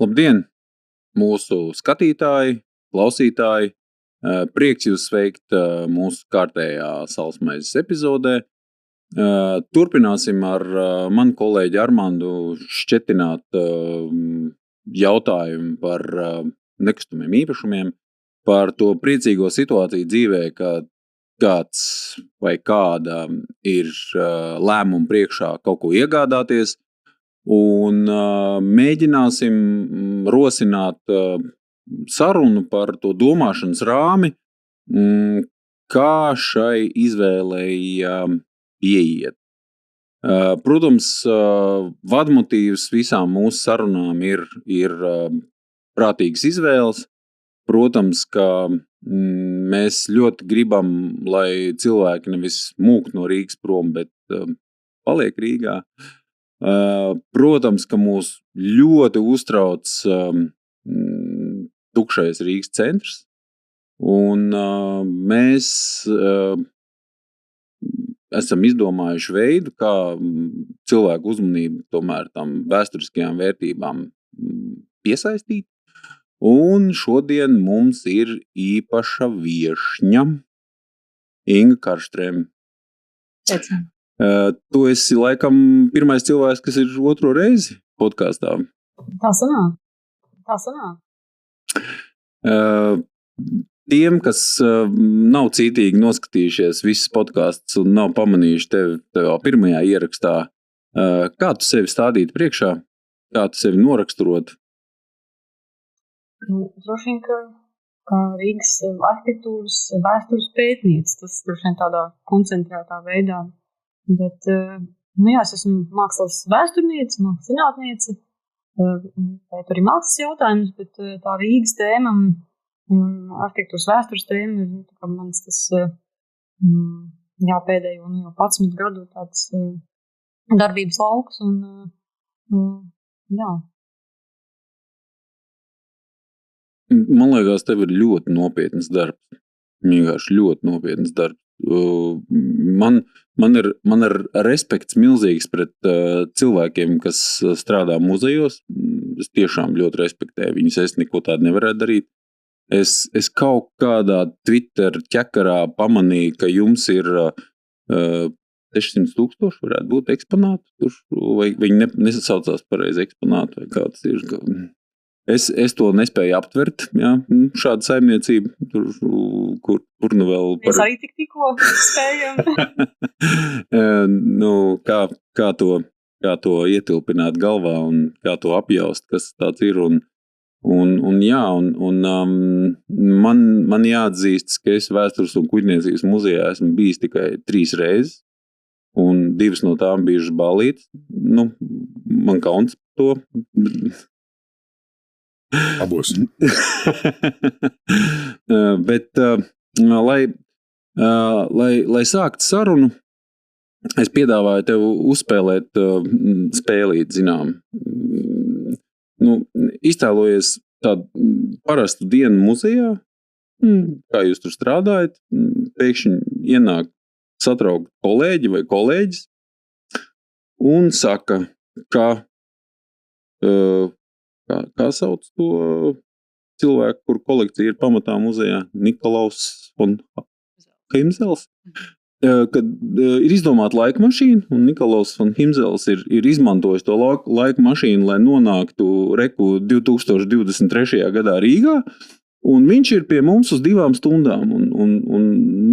Labdien, mūsu skatītāji, klausītāji! Prieks jūs sveikt mūsu kārtējā Salsmaizes epizodē. Turpināsim ar manu kolēģi Armandu šķetināt jautājumu par nekustamiem īpašumiem, par to priecīgo situāciju dzīvē, ka kāds vai kāda ir lēmumu priekšā kaut ko iegādāties, un mēģināsim rosināt sarunu par to domāšanas rāmi, kā šai izvēlei ieiet. Protams, vadmotīvs visām mūsu sarunām ir prātīgas izvēles. Protams, ka mēs ļoti gribam, lai cilvēki nevis mūk no Rīgas prom, bet paliek Rīgā. Protams, ka mūs ļoti uztrauc tukšais Rīgas centrs, un mēs esam izdomājuši veidu, kā cilvēku uzmanību tomēr tam vēsturiskajām vērtībām piesaistīt, un šodien mums ir īpaša viešņa Inga Karlstrēm. Tu esi laikam pirmais cilvēks, kas ir otro reizi podkastā. Tā sanāk. Tiem, kas nav cītīgi noskatījušies visas podkastus un nav pamanījuši tevi pirmajā ierakstā, kā tu sevi stādītu priekšā? Kā tu sevi noraksturot? Droši vien, ka Rīgas arhitektūras vēstures pētniece, tas droši vien tādā koncentrētā veidā. Bet, es esmu mākslas vēsturniece, mākslas zinātniece, pētu arī mākslas jautājumus, bet tā Rīgas tēma un arhitektūras vēstures tēma ir mans tas pēdējo 11 gadu tāds darbības lauks. Man liekas, tev ir ļoti nopietnas darbs. Vienkārši ļoti nopietnas darbs. Man ir respekts milzīgs pret cilvēkiem, kas strādā muzejos. Es tiešām ļoti respektēju viņus. Es neko tādu nevarētu darīt. Es kaut kādā Twitter ķekarā pamanīju, ka jums ir 600,000 varētu būt eksponāti. Vai viņi nesasaucās pareizi eksponāti, vai kāds ir. Es to nespēju aptvert, šādu saimniecību, kur nu vēl par... Mēs arī tikko spējam. Kā to ietilpināt galvā un kā to apjaust, kas tāds ir. Man jāatzīstas, ka es Vēstures un kuģniecības muzejā esmu bijis tikai 3 reizes, un 2 no tām bijušas ballītes. Man kauns to... Abos. Bet, lai sākt sarunu, es piedāvāju tev uzspēlēt spēlīt, zinām. Iztēlojies tādu parastu dienu muzejā, kā jūs tur strādājat, pēkšņi ienāk satraukt kolēģi vai kolēģis un saka, kā sauc to cilvēku, kur kolekcija ir pamatā muzejā? Nikolaus von Himzels. Kad ir izdomāta laika mašīna, un Nikolaus von Himzels ir izmantojis to laika mašīnu, lai nonāktu 2023. gadā Rīgā, un viņš ir pie mums uz 2 stundām, un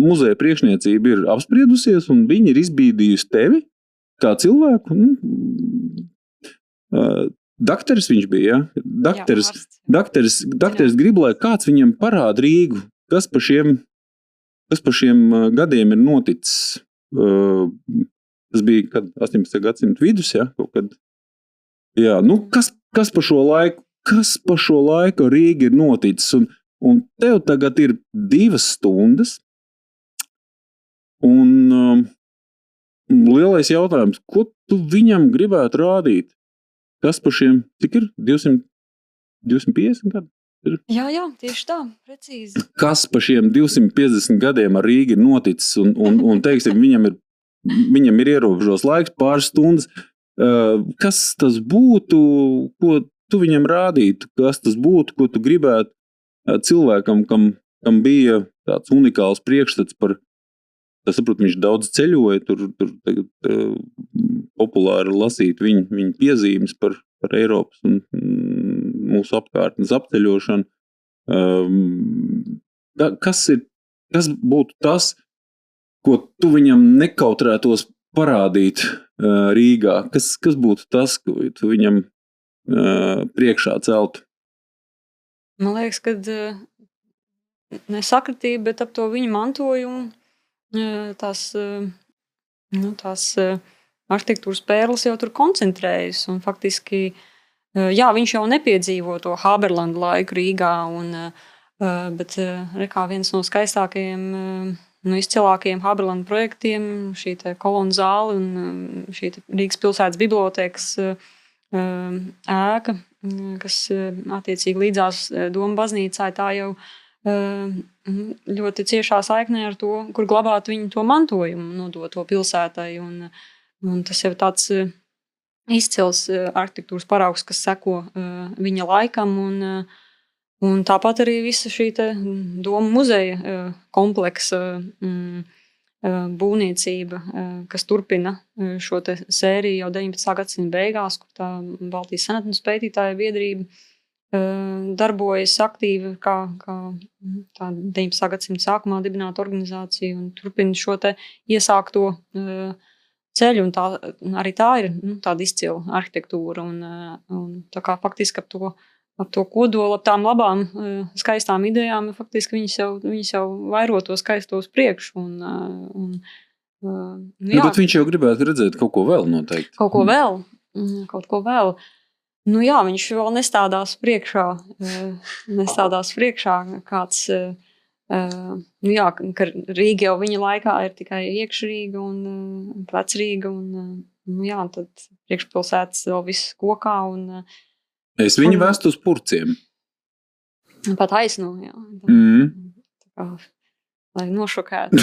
muzeja priekšniecība ir apspriedusies, un viņi ir izbīdījusi tevi kā cilvēku. Dakteris viņš bija, ja? Dakteris grib, lai kāds viņam parāda Rīgu, kas pa šiem gadiem ir noticis. Tas bija, kad 18. gadsimta vidus, ja? Kaut kad. Jā, kas pa šo laiku Rīga ir noticis, un tev tagad ir 2 stundas, un lielais jautājums, ko tu viņam gribētu rādīt? Kas pa šiem, cik ir? 250 gadi? Jā, tieši tā, precīzi. Kas pa šiem 250 gadiem ar Rīgu ir noticis, un teiksim, viņam ir ierobežos laiks, pāris stundas. Kas tas būtu, ko tu viņam rādītu, kas tas būtu, ko tu gribētu cilvēkam, kam bija tāds unikāls priekšstats par, es saprotu, viņš daudz ceļoja, tur tagad populāri lasīt viņa piezīmes par Eiropas un mūsu apkārtnes apceļošanu. Kas būtu tas, ko tu viņam nekautrētos parādīt Rīgā? Kas būtu tas, ko tu viņam priekšā celtu? Man liekas, ka nesakritība, bet ap to viņa mantojumu tās arhitektūras pērles jau tur koncentrējas. Un faktiski, jā, viņš jau nepiedzīvo to Haberlandu laiku Rīgā, bet kā viens no skaistākajiem, izcilākajiem Haberlandu projektiem, šī te kolonu zāle un šī te Rīgas pilsētas bibliotēkas ēka, kas attiecīgi līdzās Doma baznīcai, tā jau ļoti ciešā saiknē ar to, kur glabāt viņu to mantojumu, nodot to pilsētai. Un tas jau tāds izcils arhitektūras paraugs, kas seko viņa laikam. Un tāpat arī visa šī te Doma muzeja kompleksa būvniecība, kas turpina šo te sēriju jau 19. gadsimta beigās, kur tā Baltijas senatnes pētītāja biedrība darbojas aktīvi kā tā 19. gadsimta sākumā dibināta organizācija un turpina šo te iesākto ceļu, un arī tā ir tāda izcila arhitektūra, un tā kā faktiski ap to kodolu, ap tām labām, skaistām idejām, faktiski viņas jau vairo to skaisto uz priekšu, jā. Bet viņš jau gribētu redzēt kaut ko vēl noteikti. Kaut ko vēl. Jā, viņš vēl nestādās priekšā kāds, jā, ka Rīga jau viņa laikā ir tikai iekšrīga un Vecrīga, un jā, tad priekšpilsētas vēl viss kokā, un es viņu vestu uz Purciem. Pat aizno, jā. Tā kā, lai nošokētu.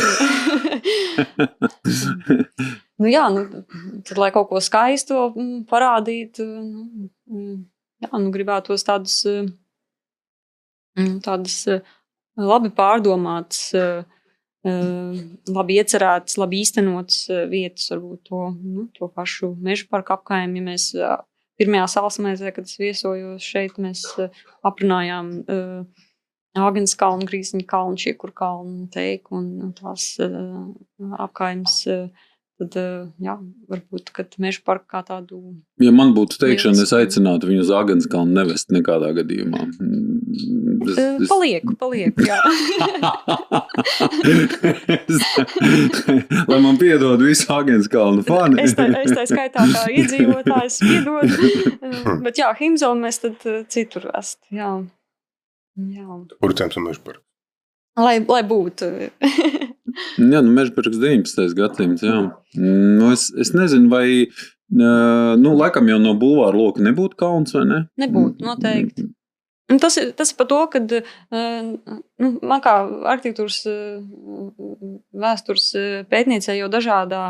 Jā, tad, lai kaut ko skaisto parādītu, jā, gribētos tādas labi pārdomātas, labi iecerētas, labi īstenotas vietas, varbūt to pašu meža parku apkaimi. Ja mēs pirmajā Salsmēzē, kad es viesojos šeit, mēs aprunājām Āgenskalnu, Grīziņa kalnu, Šiekur kalnu, Teiku un tās apkaimes. Tad, jā, varbūt, kad meža parku kā tādu... Ja man būtu teikšana, es aicinātu viņu uz Āgenskalnu nevest nekādā gadījumā. Palieku, jā. Lai man piedod visu Āgenskalnu fani. Es tā skaitā kā iedzīvotājs piedod, bet jā, Himzolu mēs tad citur vest, jā. Purcēms un meža parku. Lai būtu. Jā, mežaparks 19. gadsimts, jā. Es nezinu, vai, laikam jau no bulvāra loka nebūtu kauns, vai ne? Nebūtu, noteikti. Tas ir par to, kad man kā arhitektūras vēstures pētniecē jau dažādā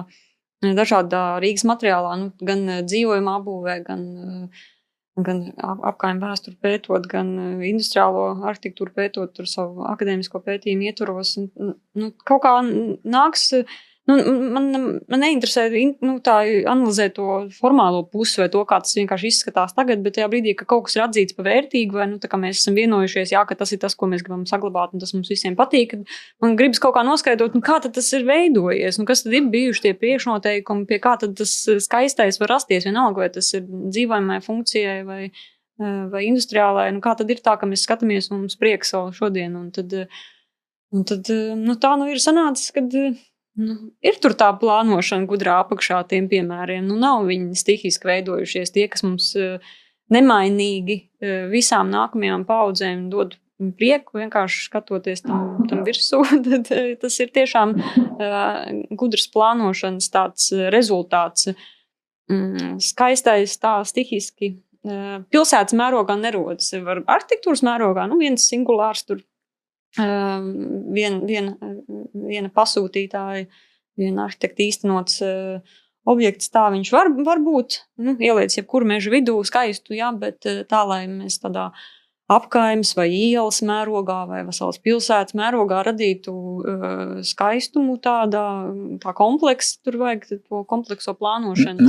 Rīgas materiālā, gan dzīvojuma apbūvē, gan apkaimi vēsturi pētot, gan industriālo arhitektūru pētot, tur savu akadēmisko pētījumu ietvaros. Kaut kā nāks, man neinteresē tā analizēt to formālo pusi vai to, kā tas vienkārši izskatās tagad, bet tajā brīdī, ka kaut kas ir atzīts par vērtīgu, vai tā kā mēs esam vienojušies, jā, ka tas ir tas, ko mēs gribam saglabāt, un tas mums visiem patīk, man gribas kaut kā noskaidrot, kā tad tas ir veidojies, kas tad ir bijuši tie priekšnoteikumi, pie kā tad tas skaistais var rasties, vienalga, vai tas ir dzīvojamai funkcijai vai industriālai, kā tad ir tā, ka mēs skatāmies un mums prieks vēl šodien, un tad tā ir sanācis, kad ir tur tā plānošana gudrā apakšā tiem piemēriem. Nav viņi stihiski veidojušies. Tie, kas mums nemainīgi visām nākamajām paudzēm dod prieku, vienkārši skatoties tam virsū, tad tas ir tiešām gudras plānošanas tāds rezultāts. Skaistais tā stihiski pilsētas mērogā nerodas. Var arhitektūras mērogā, viens singulārs tur. Viena pasūtītāja, viena arhitekta īstenots objekts tā viņš var būt, ieliec jebkuru mežu vidū skaistu, jā, bet tā, lai mēs tādā apkaimes vai ielas mērogā vai veselas pilsētas mērogā radītu skaistumu tā kompleksa, tur vajag to komplekso plānošanu.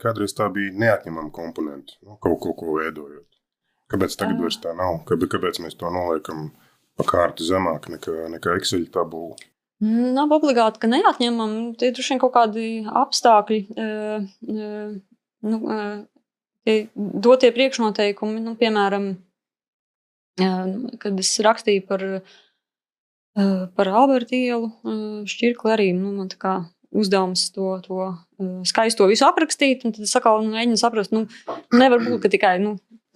Kādreiz tā bija neatņemama komponenta, kaut ko veidojot. Kāpēc tagad vairs tā nav? Kāpēc mēs to noliekam pa kārtu zemāk nekā Excel tabula? Nav obligāti, ka neatņemam. Tie droši vien kaut kādi apstākļi, dotie priekšnoteikumi, piemēram, kad es rakstīju par Alberta ielu šķirkli arī, man tā kā uzdevums to skaisto visu aprakstīt, un tad es atkal mēģinu saprast, nevar būt, ka tikai,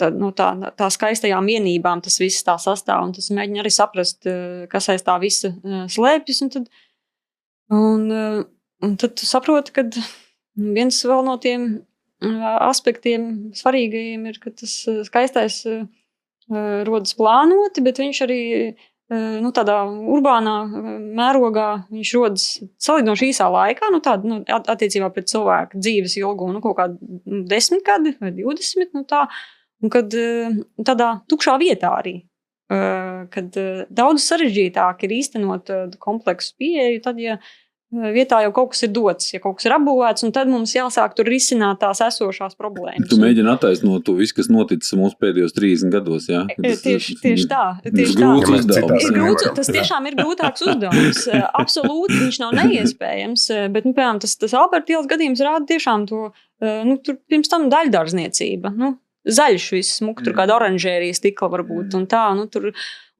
tā skaistajām vienībām tas viss tā sastāv, un tas mēģina arī saprast, kas aiz tā visa slēpjas, un tad tu saproti, ka viens vēl no tiem aspektiem svarīgajiem ir, ka tas skaistais rodas plānoti, bet viņš arī tādā urbānā mērogā viņš rodas salīdzinoši īsā laikā, attiecībā pret cilvēku dzīves ilgumu, kaut kādu 10 gadi vai 20, un kad tādā tukšā vietā arī, kad daudz sarežģītāk ir īstenot kompleksu pieeju, tad, ja vietā jau kaut kas ir dots, ja kaut kas ir apbūvēts, un tad mums jāsāk tur risināt tās esošās problēmas. Tu mēģini attaisnot to visu, kas noticis mūsu pēdējos 30 gados, jā? Tieši tā. Grūts uzdevums. Tas tiešām ir grūtāks uzdevums. Absolūti viņš nav neiespējams, bet, piemēram, tas Alberta ielas gadījums rāda tiešām to, tur pirms tam daļdārzniecība, zaļš viss smuk, tur kāda oranžērija stikla varbūt, un tā, tur.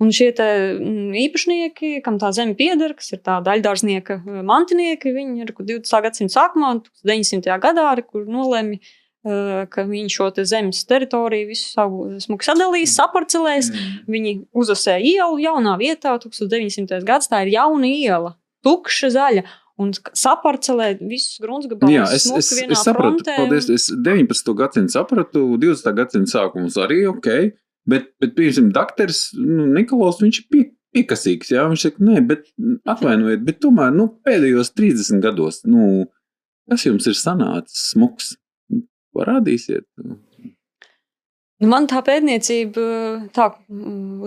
Un šie te īpašnieki, kam tā zeme pieder, kas ir tā daļdārznieka mantinieki, viņi ir 20. gadsimta sākumā, 900. gadā, kur nolēmi, ka viņi šo te zemes teritoriju visu savu smuku sadalīs, saparcelēs, viņi uzasē ielu jaunā vietā, 1900. gads, tā ir jauna iela, tukša zaļa, un saparcelē visus gruntsgabalus smuku vienā sapratu, frontē. Paldies, es 19. gadsimtu sapratu, 20. gadsimta sākums arī ok. Bet piemēram, dakteris Nikolaus, viņš ir piekasīgs, jā, viņš saka, nē, bet atvainojiet, bet tomēr, pēdējos 30 gados, kas jums ir sanācis smuks? Parādīsiet. Man tā pētniecība,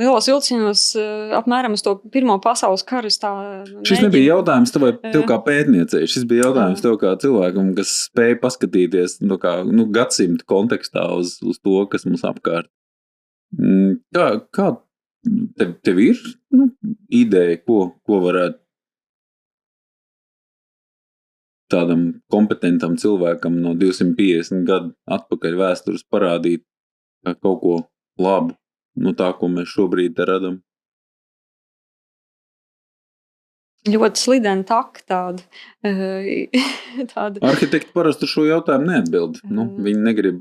lielos vilcienos apmēram uz to Pirmo pasaules karu. Šis nebija jautājums tev kā pētniecei, šis bija jautājums tev kā cilvēkam, kas spēja paskatīties gadsimta kontekstā uz to, kas mums apkārt. Kā tev ir ideja, ko varētu tādam kompetentam cilvēkam no 250 gadu atpakaļ vēstures parādīt kā kaut ko labu, tā, ko mēs šobrīd te radam? Ļoti slideni taka tāda. Arhitekti parasti šo jautājumu neatbild. Viņi negrib,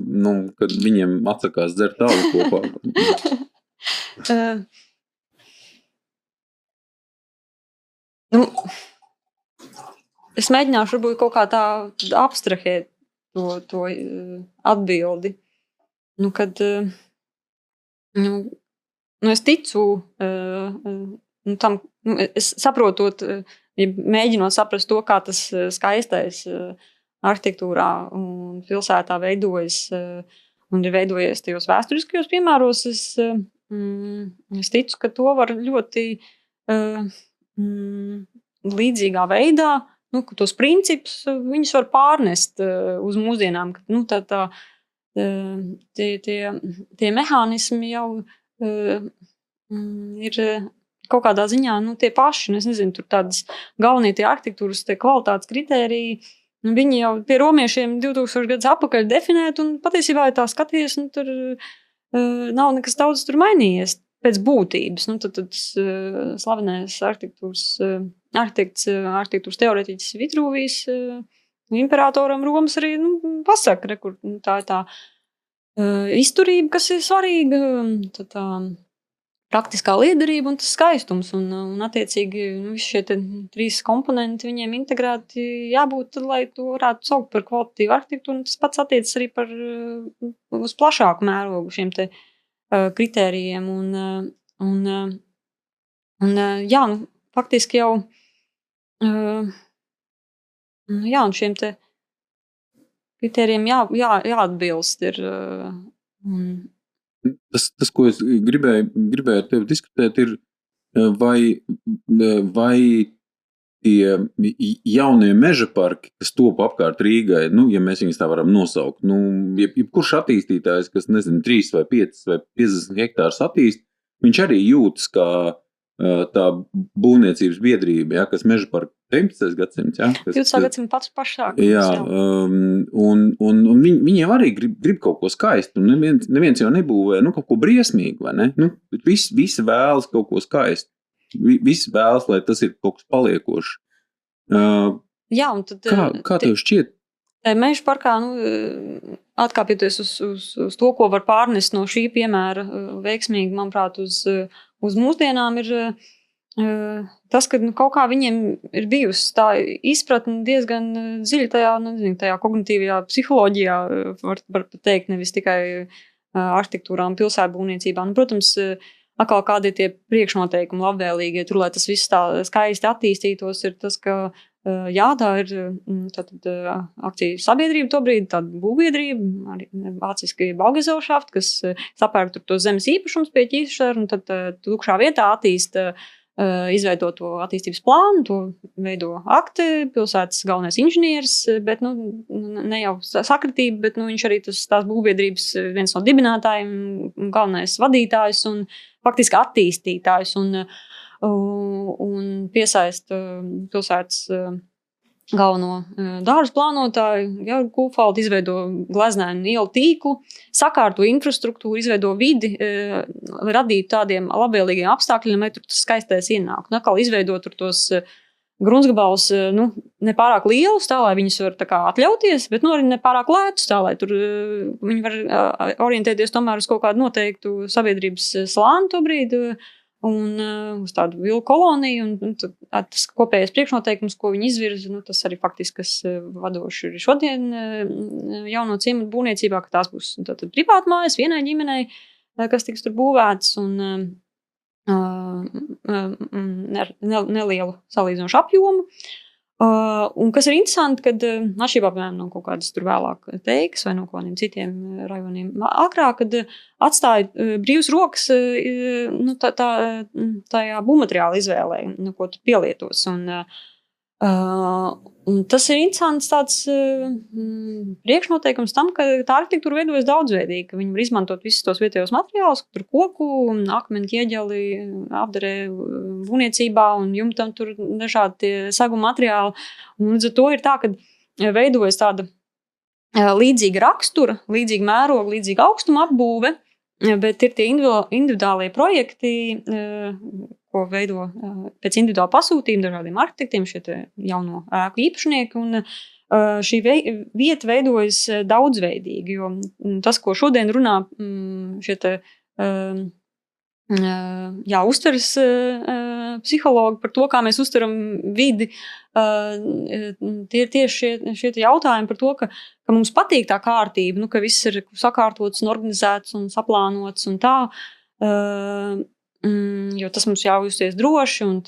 kad viņiem atsakās dzert tālu kopā. Es mēģināšu varbūt kaut kā tā abstrahēt to atbildi. Kad es ticu tam, es saprotot, mēģinot saprast to, kā tas skaistais arhitektūrā un pilsētā veidojas un ir veidojies tajos vēsturiskajos piemēros, es ticu, ka to var ļoti līdzīgā veidā, ka tos principus viņus var pārnest uz mūsdienām, ka tie mehānismi jau ir kaut kādā ziņā, tie paši, es nezinu, tur tādas galvenie tie arhitektūras, tie kvalitātes kritēriji, viņi jau pie romiešiem 2000 gadus atpakaļ definēti, un patiesībā, ja tā skaties, tur nav nekas daudz tur mainījies pēc būtības. Tad slavenais arhitektūras teorētiķis Vitrūvijs imperatoram Romas arī pasaka, kur tā ir tā izturība, kas ir svarīga, tā praktiskā liederība un tas skaistums. Un attiecīgi, visi šie trīs komponenti viņiem integrēti jābūt, lai to varētu saukt par kvalitatīvu arhitektūru. Tas pats attiecas arī uz plašāku mērogu šiem te kritērijiem. Faktiski jau un šiem te kritērijiem jāatbilst ir. Tas, ko es gribēju ar tevi diskutēt, ir, vai tie jaunie meža parki, kas top apkārt Rīgai, ja mēs viņus tā varam nosaukt, jebkurš attīstītājs, kas, 3 vai 5 vai 50 hektārus attīst, viņš arī jūtas kā tā būvniecības biedrība, kas meža parka 19. gadsimts. 20. gadsimts pats pašāk. Jā, un viņiem arī grib kaut ko skaistu, un neviens jau nebūvē kaut ko briesmīgu, vai ne? Visi vēlas kaut ko skaistu. Visi vēlas, lai tas ir kaut kas paliekošs. Jā, un tad... Kā tev šķiet? Meža parkā, atkāpjoties uz to, ko var pārnest no šī piemēra veiksmīgi, manuprāt, uz mūsdienām ir tas, ka kaut kā viņiem ir bijusi tā izpratne diezgan dziļa tajā kognitīvajā psiholoģijā, var teikt, nevis tikai arhitektūrā un pilsētbūvniecībā. Protams, atkal kādi ir tie priekšnoteikumi labvēlīgi, tur, lai tas viss tā skaisti attīstītos, ir tas, ka tā ir tātad akciju sabiedrība tobrīd, tāda būvbiedrība, arī vāciski Baugesellschaft, kas sapērk tur to zemes īpašums pie ķīšara, un tad tukšā vietā izveido to attīstības plānu, to veido akti, pilsētas galvenais inženieris, bet ne jau sakritība, bet viņš arī tās būvbiedrības viens no dibinātājiem, galvenais vadītājs un faktiski attīstītājs un piesaist pilsētas galveno dārzu plānotāju, Georgu Kūfaldu, izveido gleznainu ielu tīklu, sakārto infrastruktūru, izveido vidi, lai radītu tādiem labvēlīgiem apstākļiem, lai tur tas skaistais ienāk. Un atkal izveido tur tos gruntsgabalus, nepārāk lielus, tā, lai viņus var tā kā atļauties, bet arī nepārāk lētus, tā, lai tur viņi var orientēties tomēr uz kaut kādu noteiktu sabiedrības slāni tobrīd, un uz tādu vilku koloniju, un tas kopējais priekšnoteikums, ko viņi izvirza, tas arī faktiski, kas vadoši ir šodien jauno ciematu būvniecībā, ka tās būs tātad privātmājas vienai ģimenei, kas tiks tur būvēts, un nelielu salīdzinošu apjomu. Un kas ir interesanti, kad atšķirībā, piemēram, no kaut kādas tur vēlāk Teikas vai no kaut kādiem citiem rajoniem agrāk, kad atstāja brīvas rokas tajā būvmateriāla izvēlē, ko tu pielietos. Un tas ir interesants tāds priekšnoteikums tam, ka tā arhitektūra veidojas daudzveidīgi, ka viņi var izmantot visus tos vietējos materiālus, tur koku, akmeni, ķieģeli, apdarē būvniecībā un jumtam tur dažādi tie saguma materiāli. Un līdz ar to ir tā, ka veidojas tāda līdzīga rakstura, līdzīga mēroga, līdzīga augstuma apbūve, bet ir tie individuālie projekti, ko veido pēc individuāla pasūtījuma dažādiem arhitektiem, šie jauno ēku īpašnieki, un šī vieta veidojas daudzveidīgi, jo tas, ko šodien runā šie uztveres psihologi par to, kā mēs uztveram vidi, tie ir tieši šie jautājumi par to, ka mums patīk tā kārtība, ka viss ir sakārtots un organizēts un saplānots un tā, jo tas mums ļauj justies droši un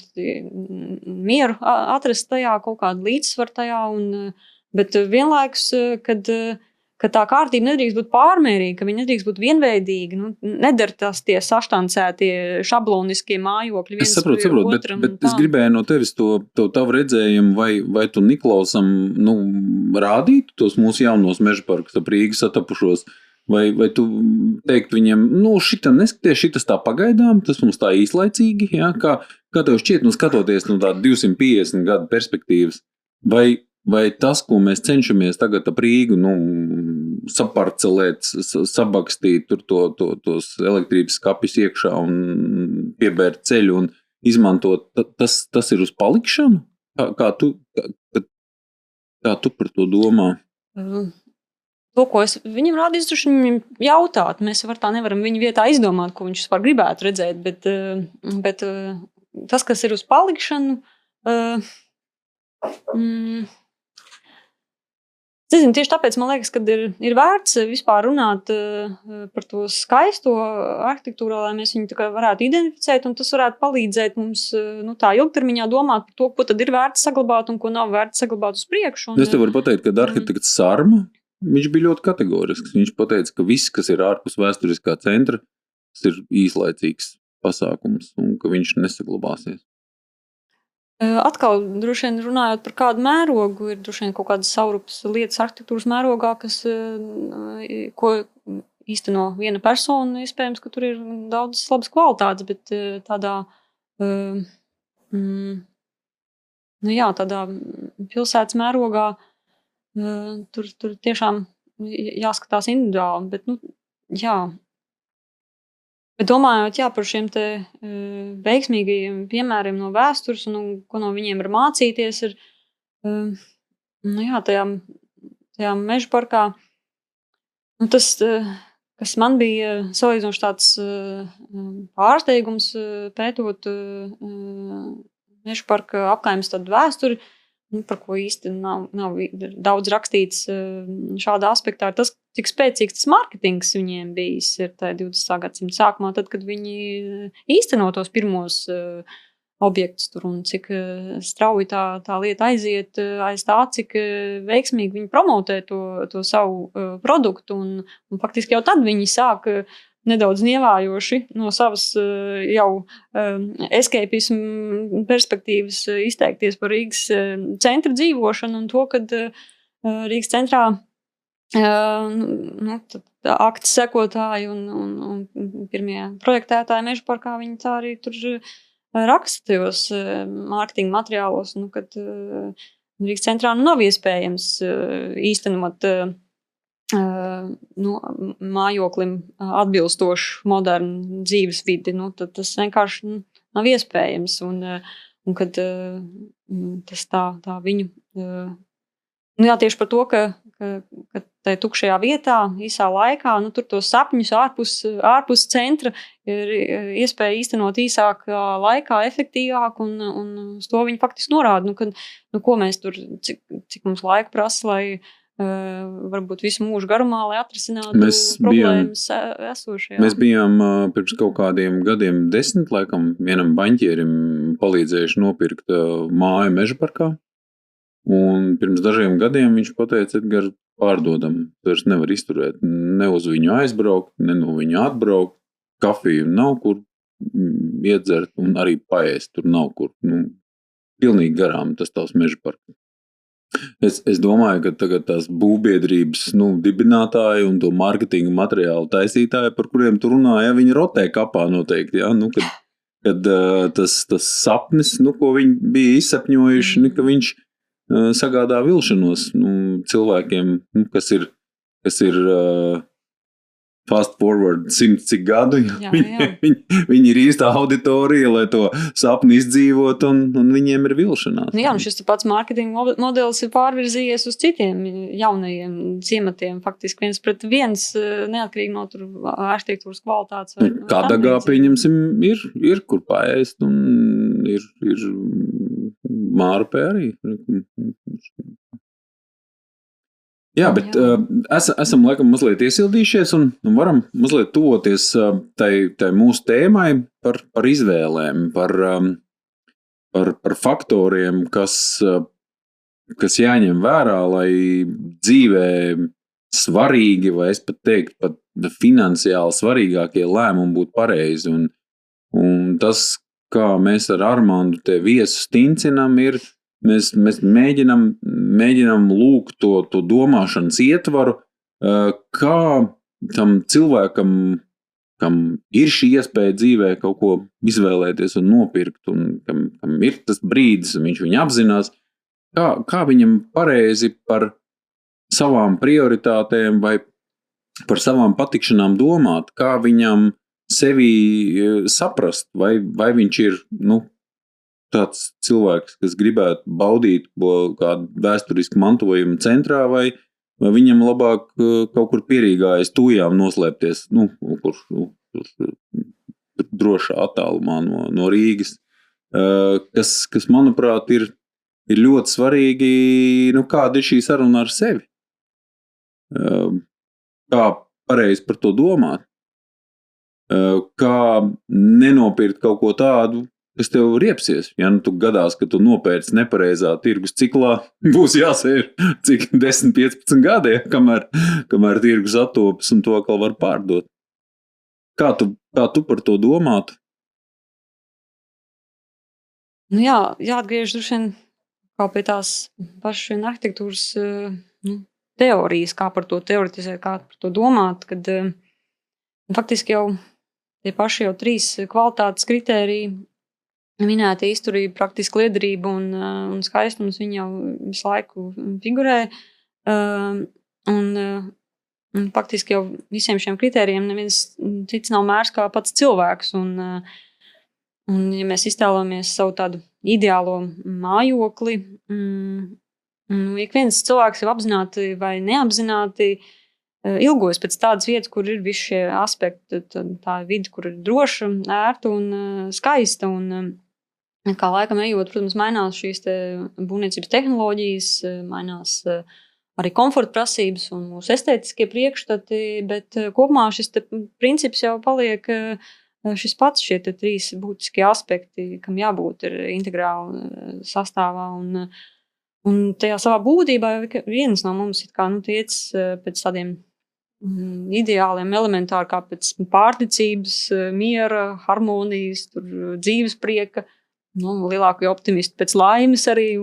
mieru atrast tajā, kaut kādu līdzsvaru tajā, bet vienlaikus, kad tā kārtība nedrīkst būt pārmērīga, ka viņa nedrīkst būt vienveidīga, nedara tas tie saštancētie šabloniskie mājokļi viens saprotu, otram. Bet es gribēju no tevis to tavu redzējumu, vai tu Niklausam rādītu tos mūsu jaunos meža parkus ap Rīgas satapušos, vai tu teiktu viņiem, šitam neskaties, šitas tā pagaidām, tas mums tā īslaicīgi, ja? Kā tev šķiet, skatoties no tāda 250 gadu perspektīvas, vai tas, ko mēs cenšamies tagad ap Rīgu, saparcelēt, sabakstīt tur tos elektrības skapis iekšā un piebērt ceļu un izmantot, tas ir uz palikšanu? Kā tu par to domā? To, ko es viņam rādīju, droši viņam jautāt. Mēs tā nevaram viņa vietā izdomāt, ko viņš vispār gribētu redzēt, bet tas, kas ir uz palikšanu, tieši tāpēc man liekas, ka ir vērts vispār runāt par to skaisto arhitektūru, lai mēs viņu varētu identificēt, un tas varētu palīdzēt mums tā ilgtermiņā domāt par to, ko tad ir vērts saglabāt un ko nav vērts saglabāt uz priekšu. Es te varu pateikt, ka arhitekts Sarma, viņš bija ļoti kategorisks. Viņš pateica, ka viss, kas ir ārpus vēsturiskā centra, tas ir īslaicīgs pasākums un ka viņš nesaglabāsies. Atkal, droši vien runājot par kādu mērogu, ir droši vien kaut kādas saurupas lietas arhitektūras mērogā, kas, ko īsteno viena persona, iespējams, ka tur ir daudz labas kvalitātes, bet tādā, tādā pilsētas mērogā tur tiešām jāskatās individuāli, bet, Bet domājot par šiem te veiksmīgajiem piemēriem no vēstures un ko no viņiem var mācīties, ir tajā meža parkā. Tas, kas man bija salīdzinoši tāds pārsteigums pētot meža parka apkaimes tādu vēsturi, par ko īsti nav daudz rakstīts šādā aspektā, ir tas, cik spēcīgs tas marketings viņiem bijis ir tajā 20. gadsimta sākumā, tad, kad viņi īsteno tos pirmos objektus tur un cik strauji tā lieta aiziet aiz tā, cik veiksmīgi viņi promotē to savu produktu un faktiski jau tad viņi sāk nedaudz nievājoši no savas jau escapismu perspektīvas izteikties par Rīgas centra dzīvošanu un to, kad Rīgas centrā akta sekotāji un pirmie projektētāji meža parkā, viņi tā arī tur raksta tajos mārketinga materiālos, kad Rīgas centrā nav iespējams īstenot mājoklim atbilstošu modernu dzīves vidi, tad tas vienkārši nav iespējams. Un kad tas tā viņu... tieši par to, ka tajā tukšajā vietā, īsā laikā, tur tos sapņus ārpus centra ir iespēja īstenot īsākā laikā, efektīvāk, un uz to viņi faktiski norāda, ko mēs tur, cik mums laika prasa, lai varbūt visu mūžu garumā, lai atrisinātu problēmas esošajā. Mēs bijām pirms kaut kādiem gadiem 10, laikam, vienam baņķierim palīdzējuši nopirkt māju meža parkā. Un pirms dažiem gadiem viņš pateica, Edgar, pārdodam, vairs nevar izturēt, ne uz viņu aizbraukt, ne no viņu atbraukt, kafiju nav kur iedzert un arī paēst tur nav kur. Pilnīgi garām tas tavs meža parks. Es domāju, ka tagad tās būvbiedrības dibinātāji un to marketinga materiālu taisītāji, par kuriem tu runāji, viņi rotē kapā noteikti, kad tas sapnis, ko viņi bija izsapņojuši, ka viņš sagādā vilšanos cilvēkiem, kas ir fast forward 100 cik gadu. Viņi ir īstā auditorija, lai to sapni izdzīvot, un viņiem ir vilšanās. Un šis pats mārketinga modelis ir pārvirzījies uz citiem jaunajiem ciematiem, faktiski 1:1, neatkarīgi no tur arhitektūras kvalitātes. Kadagā, pieņemsim, ir kur paēst, un ir Mārupē arī. Jā, bet esam laikam mazliet iesildījušies un varam mazliet tuvoties tai mūsu tēmai par izvēlēm, par faktoriem, kas jāņem vērā, lai dzīvē svarīgi, vai es pat teiktu, pat finansiāli svarīgākie lēmumi būtu pareizi. Un tas, kā mēs ar Armandu te viesu stincinam, ir mēs mēģinam lūgt to domāšanas ietvaru, kā tam cilvēkam, kam ir šī iespēja dzīvē kaut ko izvēlēties un nopirkt, un kam ir tas brīdis, un viņš viņu apzinās, kā viņam pareizi par savām prioritātēm vai par savām patikšanām domāt, kā viņam sevi saprast, vai viņš ir, tāds cilvēks, kas gribētu baudīt kādu vēsturisku mantojumu centrā, vai viņam labāk kaut kur pierīgā aiz tujām noslēpties, kur drošā attālumā no Rīgas, kas manuprāt, ir ļoti svarīgi, kāda ir šī saruna ar sevi. Kā pareizi par to domāt, kā nenopirkt kaut ko tādu, kas tev riepsies. Ja nu tu gadās, ka tu nopērci nepareizā tirgus ciklā, būs jāsēž cik 10-15 gadi, kamēr tirgus attopas un to atkal var pārdot. Kā tu par to domātu? Nu jā, jāatgriež droši vien kā pie tās pašas arhitektūras teorijas, kā par to teoretizēt, kā par to domāt, kad faktiski jau tie paši jau 3 kvalitātes kritēriji minēti izturība, praktiska liederība un skaistums, viņi jau visu laiku figurē. Un faktiski jau visiem šiem kritērijiem neviens cits nav mērs kā pats cilvēks. Un ja mēs iztēlojamies savu tādu ideālo mājokli, ik viens cilvēks jau apzināti vai neapzināti ilgojas pēc tādas vietas, kur ir visi šie aspekti, tā vide, kur ir droša, ērta un skaista. Un kā laikam ejot, protams, mainās šīs būvniecības tehnoloģijas, mainās arī komforta prasības un mūsu estētiskie priekšstati, bet kopumā šis princips jau paliek šis pats, šie 3 būtiskie aspekti, kam jābūt ir integrāli sastāvā un tajā savā būtībā viens no mums ir kā tiec pēc tādiem ideāliem elementāri kā pēc pārticības, miera, harmonijas, dzīves prieka, lielāku optimistu pēc laimes arī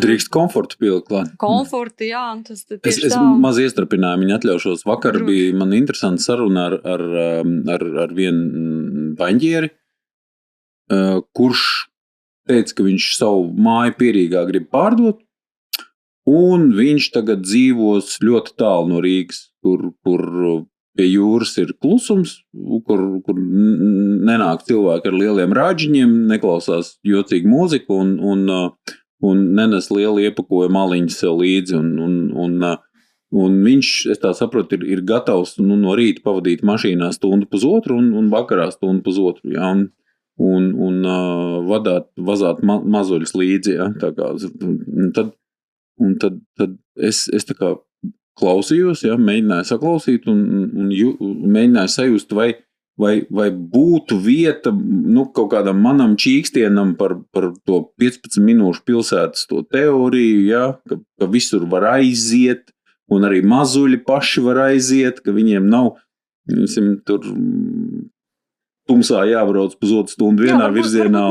drīkst komfortu pielikt klāt. Komfortu, jā. Tas tieši es maz iestrapināju, viņa atļaušos. Vakar bija man interesanta saruna ar vienu baņģieri, kurš teica, ka viņš savu māju Pierīgā grib pārdot, un viņš tagad dzīvos ļoti tālu no Rīgas, kur pie jūras ir klusums, kur nenāk cilvēki ar lieliem rāģiņiem, neklausās jocīgu mūziku un nenes lielu iepakojumu maliņu sev līdzi. Un viņš, es tā saprotu, ir gatavs no rīta pavadīt mašīnā 1.5 stundu un vakarā 1.5 stundu. Ja, un vazāt mazuļus līdzi. Ja, tā kā, tad es tā kā klausījos, ja, mēģināju saklausīt un mēģināju sajust, vai būtu vieta kaut kādam manam čīkstienam par to 15 minūšu pilsētas to teoriju, ja, ka visur var aiziet un arī mazuļi paši var aiziet, ka viņiem nav tur tumsā jābrauc 1.5 stundu vienā virzienā.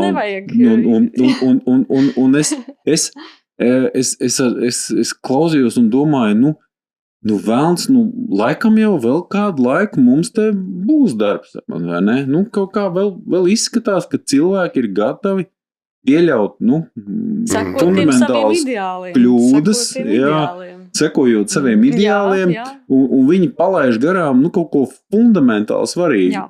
Un es klausījos un domāju, velns, laikam jau vēl kādu laiku mums te būs darbs, vai ne? Kaut kā vēl izskatās, ka cilvēki ir gatavi pieļaut, fundamentāls kļūdas, sekojot saviem ideāliem, un viņi palaiž garām, kaut ko fundamentāli svarīgi,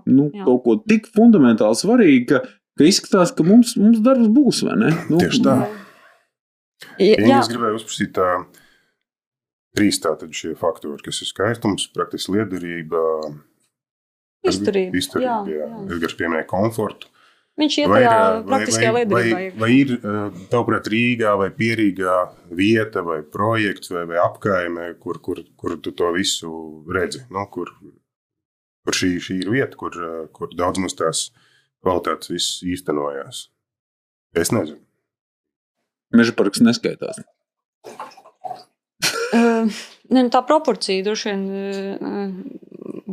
kaut ko tik fundamentāli svarīgi, ka izskatās, ka mums darbs būs, vai ne? Tieši tā. Es gribēju uzprasīt 3 tātad šie faktori, kas ir skaistums, praktiski liederība, izturība, jā. Edgars pieminēja komfortu. Viņš iet tajā praktiskajā liederībā. Vai ir, tavuprāt, Rīgā vai Pierīgā vieta vai projekts vai apkaime, kur tu to visu redzi? Kur šī ir vieta, kur daudz mums tās kvalitātes viss īstenojās? Es nezinu. Mežaparks neskaitās. Tā proporcija droši vien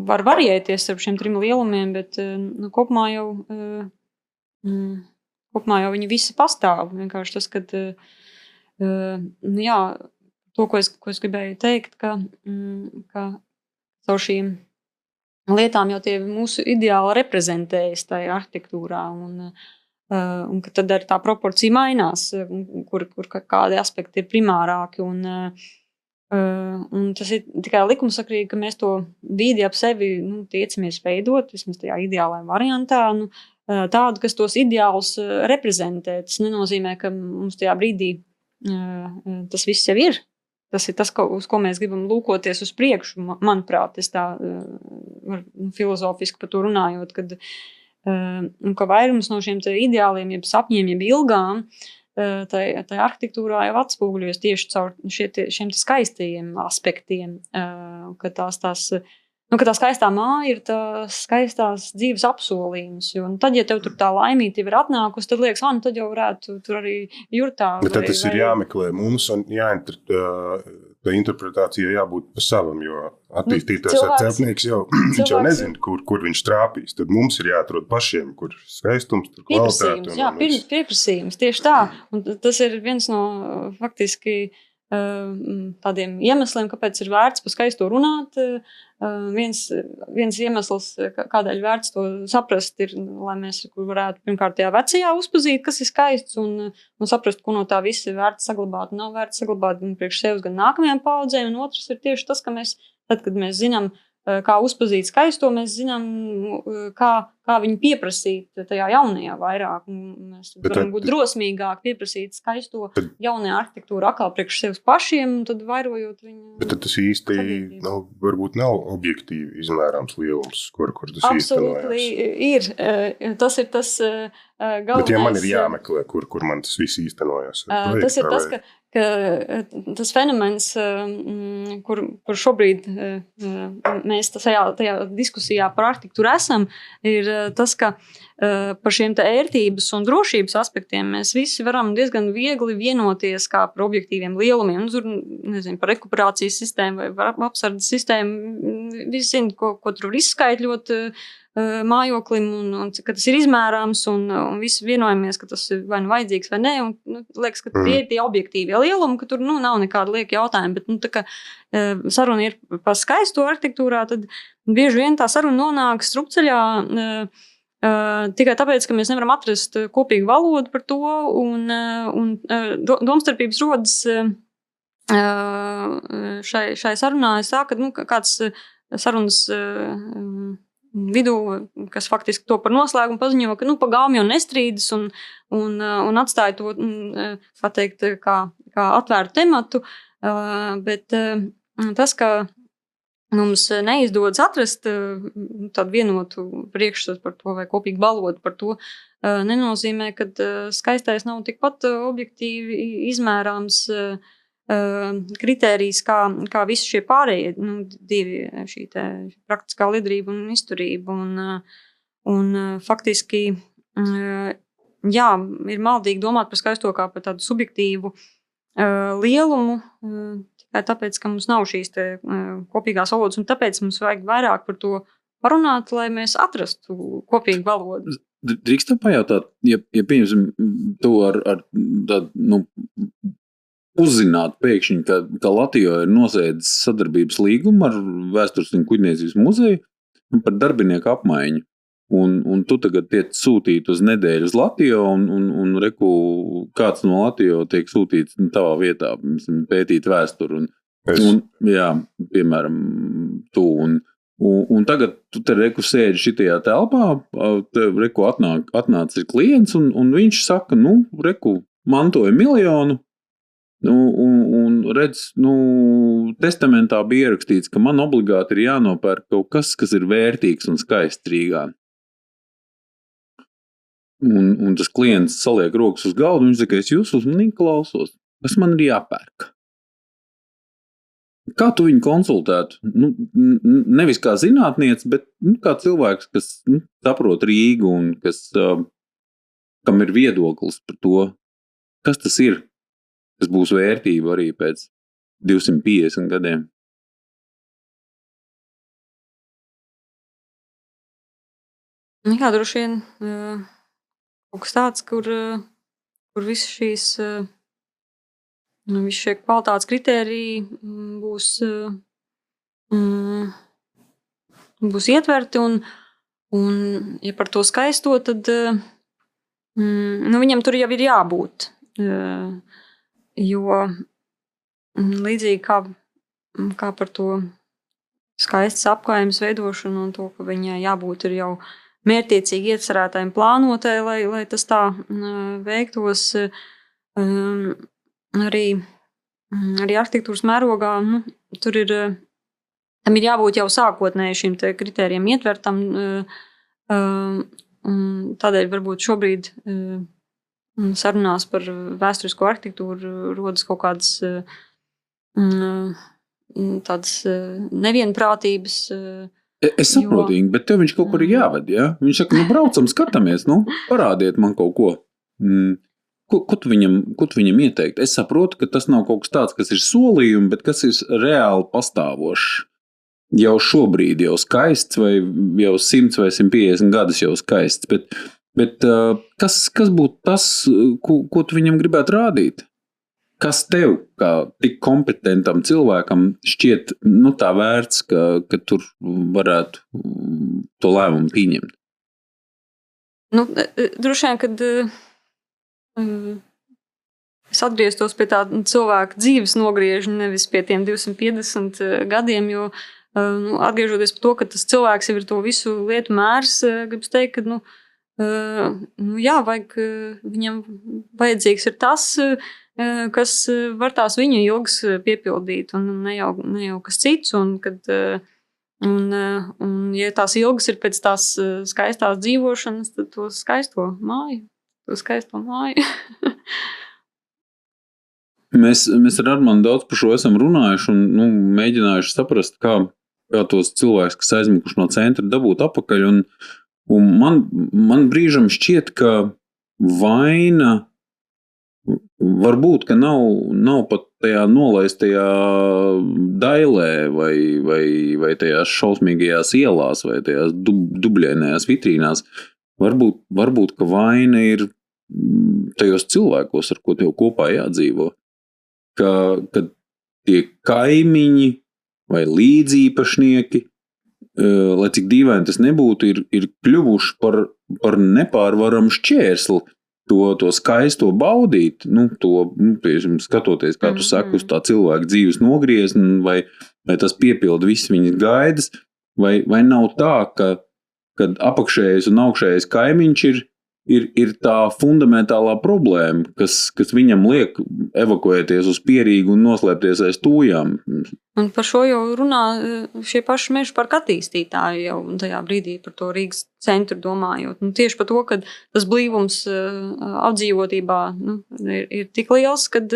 var variēties ar šiem 3 lielumiem, bet kopumā jau viņi visi pastāv. Vienkārši tas, ka to, ko es gribēju teikt, ka caur šīm lietām jau tie mūsu ideāli reprezentējas tajā arhitektūrā un ka tad arī tā proporcija mainās, kur kādi aspekti ir primārāki un tas ir tikai likumsakrīgi, ka mēs to vidi ap sevi tiecamies veidot, vismaz tajā ideālajā variantā, tādu, kas tos ideālus reprezentē. Tas nenozīmē, ka mums tajā brīdī tas viss jau ir. Tas ir tas, uz ko mēs gribam lūkoties uz priekšu, manuprāt, es tā filozofiski par to runājot, ka vairums no šiem ideāliem, jeb sapņiem, jeb ilgām, tā arhitektūrā jau atspoguļojas tieši caur šiem skaistajiem aspektiem, ka tās ka tā skaistā māja ir tās skaistās dzīves apsolījums. Jo tad, ja tev tur tā laimītība ir atnākusi, tad liekas, nu tad jau varētu tur arī jurtā. Bet tad tas ir jāmeklē mums un tā interpretācija jābūt pa savam, jo attīstītājs celtnieks viņš jau nezina, kur viņš trāpīs. Tad mums ir jāatrod pašiem, kur skaistums, tur kvalitāte. Jā, pieprasījums, tieši tā. Un tas ir viens no faktiski tādiem iemesliem, kāpēc ir vērts par skaisto runāt. Viens iemesls, kādēļ vērts to saprast, ir, lai mēs varētu pirmkārt tajā vecajā uzpazīt, kas ir skaists, un saprast, ko no tā viss ir vērts saglabāt un nav vērts saglabāt gan priekš sevis, gan nākamajām paudzēm. Un otrs ir tieši tas, ka tad, kad mēs zinām, kā uzpazīt skaisto, mēs zinām, kā viņu pieprasīt tajā jaunajā vairāk. Mēs varam būt drosmīgāk pieprasīt skaisto jaunajā arhitektūru atkal priekš sevis pašiem, un tad vairojot viņu. Bet tad tas īsti varbūt nav objektīvi izmērāms lielums, kur tas absolūti ir. Tas ir tas galvenais. Bet ja man ir jāmeklē, kur man tas viss īstenojas. Tas ir tas, ka tas fenomens, kur šobrīd mēs tajā diskusijā par arhitektūru esam, ir tas, ka par šiem ērtības un drošības aspektiem mēs visi varam diezgan viegli vienoties kā par objektīviem lielumiem. Tur, nezinu, par rekuperācijas sistēmu vai apsardzes sistēmu. Visi zina, ko tur var izskaitļot mājoklim, un ka tas ir izmērāms, un visi vienojamies, ka tas ir vai nu vajadzīgs vai nē, un liekas, ka tie ir tie objektīvie lielumi, ka tur nav nekāda lieka jautājuma, bet tā kā saruna ir par skaisto arhitektūrā, tad bieži vien tā saruna nonāk strupceļā tikai tāpēc, ka mēs nevaram atrast kopīgu valodu par to, un domstarpības rodas šai sarunā. Es tā, ka kāds sarunas vidū, kas faktiski to par noslēgumu paziņo, ka pa gaumi jau nestrīdas un atstāja to, kā teikt, kā atvērtu tematu, bet tas, ka mums neizdodas atrast tādu vienotu priekšstatu par to vai kopīgu valodu par to, nenozīmē, ka skaistais nav tikpat objektīvi izmērāms kritērijs, kā visi šie pārējie divi, šī praktiskā liederība un izturība. Un faktiski, jā, ir maldīgi domāt par skaisto kā par tādu subjektīvu lielumu, tikai tāpēc, ka mums nav šīs kopīgās valodas, un tāpēc mums vajag vairāk par to parunāt, lai mēs atrastu kopīgu valodu. Drīkstam pajautāt, ja pieņemsim to ar tādu, uzzināt pēkšņi, ka Latvijā ir noslēdzis sadarbības līgumu ar Vēstures un kuģniecības muzeju par darbinieku apmaiņu. Un tu tagad tiec sūtīt uz nedēļu uz Latviju, un reku, kāds no Latviju tiek sūtīts tavā vietā, pētīt vēsturi. Jā, piemēram, tu. Un tagad tu te reku sēdi šitajā telpā, te reku atnāc ir klients, un viņš saka, reku, mantoja 1 miljonu, un redz, testamentā bija ierakstīts, ka man obligāti ir jānopērk kaut kas ir vērtīgs un skaists Rīgā. Un tas klients saliek rokas uz galdu, un viņš saka, es jūs uzmanīgi klausos, kas man ir jāpērk. Kā tu viņu konsultētu? Nevis kā zinātniece, bet kā cilvēks, kas saprot Rīgu un kam ir viedoklis par to, kas tas ir. Tas būs vērtība arī pēc 250 gadiem. Jā, droši vien kaut kas tāds, kur visi šie kvalitātes kritēriji būs ietverti, un ja par to skaisto, tad viņam tur jau ir jābūt. Jo līdzīgi kā par to skaistas apkārtnes veidošanu un to, ka viņai jābūt ir jau mērķtiecīgi iecerētājiem plānotai, lai tas tā veiktos arī arhitektūras mērogā. Tur tam ir jābūt jau sākotnēji šim te kritērijiem ietvertam. Tādēļ varbūt šobrīd sarunās par vēsturisko arhitektūru rodas kaut kādas tādas nevienprātības, Es saprotu, bet tev viņš kaut kur ir jāved, ja? Viņš saka, braucam, skatāmies, parādiet man kaut ko. Ko tu viņam ieteikt? Es saprotu, ka tas nav kaut kas tāds, kas ir solījumi, bet kas ir reāli pastāvošs. Jau šobrīd jau skaists, vai jau 100 vai 150 gadus jau skaists, bet kas būtu tas, ko tu viņam gribētu rādīt? Kas tev, kā tik kompetentam cilvēkam, šķiet tā vērts, ka tur varētu to lēmumu pieņemt? Droši vien, kad es atgrieztos pie tā cilvēka dzīves nogriežņa, nevis pie tiem 250 gadiem, jo atgriežoties par to, ka tas cilvēks jau ir to visu lietu mērs, gribas teikt, ka viņam vajadzīgs ir tas, kas var tās viņa ilgas piepildīt, un ne jau kas cits, un ja tās ilgas ir pēc tās skaistās dzīvošanas, tad to skaisto māju. Mēs ar Armandu daudz par šo esam runājuši un mēģinājuši saprast, kā tos cilvēkus, kas aizmukuši no centra, dabūt apakaļ. Un man brīžam šķiet, ka vaina varbūt, ka nav pat tajā nolaistajā dailē vai tajās šausmīgajās ielās vai tajās dubļainajās vitrīnās. Varbūt, ka vaina ir tajos cilvēkos, ar ko tev kopā jādzīvo. Ka tie kaimiņi vai līdzīpašnieki, lai cik dīvaini tas nebūtu, ir kļuvuši par nepārvaramu šķērsli to skaisto baudīt, skatoties, kā tu saki, uz tā cilvēka dzīves nogriezni, vai tas piepilda visas viņas gaidas, vai nav tā, kad apakšējais un augšējais kaimiņš ir tā fundamentālā problēma, kas viņam liek evakuēties uz Pierīgu un noslēpties aiz tūjām. Un par šo jau runā šie paši mežu parka attīstītāji jau tajā brīdī par to Rīgas centru domājot. Tieši par to, ka tas blīvums apdzīvotībā ir tik liels, kad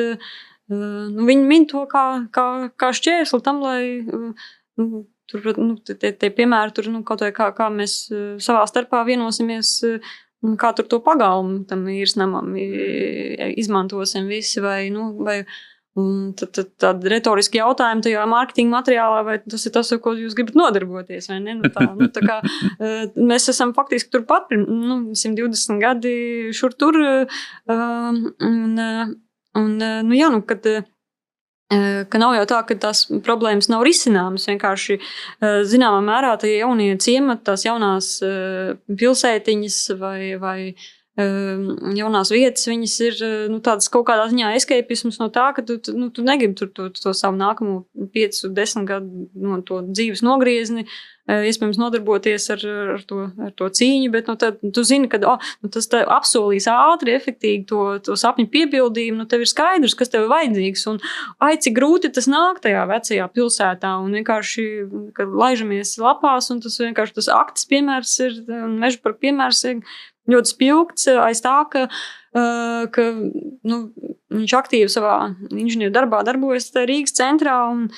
viņi min to kā šķērsli tam, lai tie piemēri tur kaut vai kā mēs savā starpā vienosimies, kā tur to pagalmu tam īrsnamam izmantosim visi, vai tad retoriski jautājumi tajā mārketinga materiālā, vai tas ir tas, ar ko jūs gribat nodarboties, vai ne? Tā kā mēs esam faktiski turpat, 120 gadi šur tur, ka nav jau tā, ka tās problēmas nav risināmas, vienkārši zināmā mērā tie jaunie ciemati, tās jaunās pilsētiņas vai jaunās vietas, viņas ir tādas kaut kādā ziņā escapisms no tā, ka tu negribi to savu nākamo 5-10 gadu to dzīves nogriezni, iespējams nodarboties ar to cīņu, bet tad tu zini, ka tas apsolīs ātri, efektīgi to sapņu piepildījumu, tev ir skaidrs, kas tev ir vajadzīgs, un cik grūti tas nāk tajā vecajā pilsētā, un vienkārši, kad laižamies lapās, un tas vienkārši tas akts piemērs ir, un meža parka piemērs ir ļoti spilgts aiz tā, ka viņš aktīvi savā inženieru darbā darbojas Rīgas centrā, un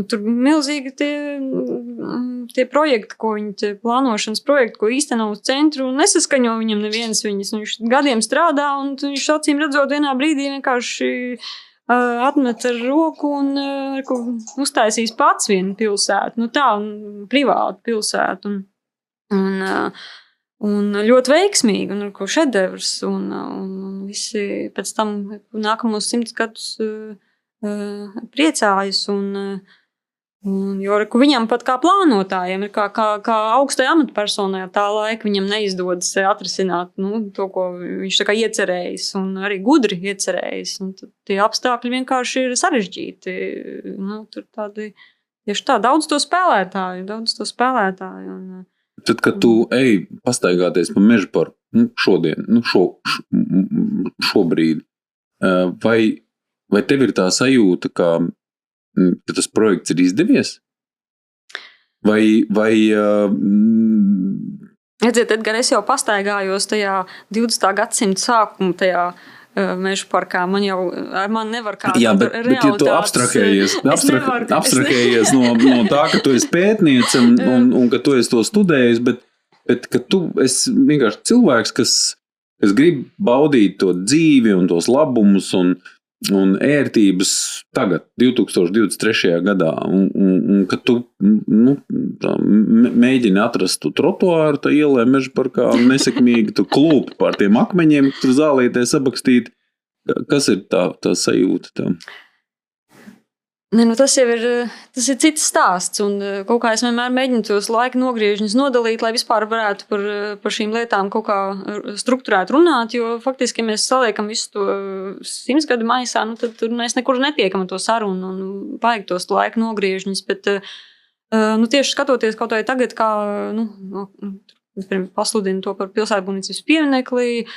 tur milzīgi tie projekti, ko viņi plānošanas projekti, ko īsteno uz centru, nesaskaņo viņam nevienas viņas. Viņš gadiem strādā, un viņš acīm redzot vienā brīdī vienkārši atmet ar roku un uztaisīs pats vienu pilsētu. Privātu pilsētu. Un ļoti veiksmīgi, un ko šedevrs, un visi pēc tam nākamos 100 gadus priecājas, jo viņam pat kā plānotājiem, kā augstai amatpersonai tā laika viņam neizdodas atrisināt to, ko viņš tā kā iecerējis, un arī gudri iecerējis, un tie apstākļi vienkārši ir sarežģīti. Tur tieši tā, daudz to spēlētāju, un tad, kad tu ej pastaigāties pa meža parku šodien, šobrīd, vai tev ir tā sajūta, ka tas projekts ir izdevies? Vai Redziet, Edgar, es jau pastaigājos tajā 20. gadsimta sākuma tajā meža parkā. Man nevar kā jā, bet ja tu abstrahējies no tā, ka tu esi pētniece un ka tu esi to studējis, bet ka tu esi vienkārši cilvēks, kas grib baudīt to dzīvi un tos labumus un ērtības tagad, 2023. gadā, un ka tu mēģini atrast tu trotuāru tā ielē meža parkā un nesekmīgi tu klūpi pār tiem akmeņiem, tur zālītē sabakstīt. Kas ir tā sajūta tam? Tas ir cits stāsts, un kaut kā es vienmēr mēģinu tos laika nogriežņus nodalīt, lai vispār varētu par šīm lietām kaut kā strukturēt runāt, jo faktiski, ja mēs saliekam visu to 100 gadu maisā, tad tur mēs nekur netiekam to sarunu un vajag tos laika nogriežņus, bet tieši skatoties kaut vai tagad, kā pasludina to par pilsētbūvniecības pieminekli,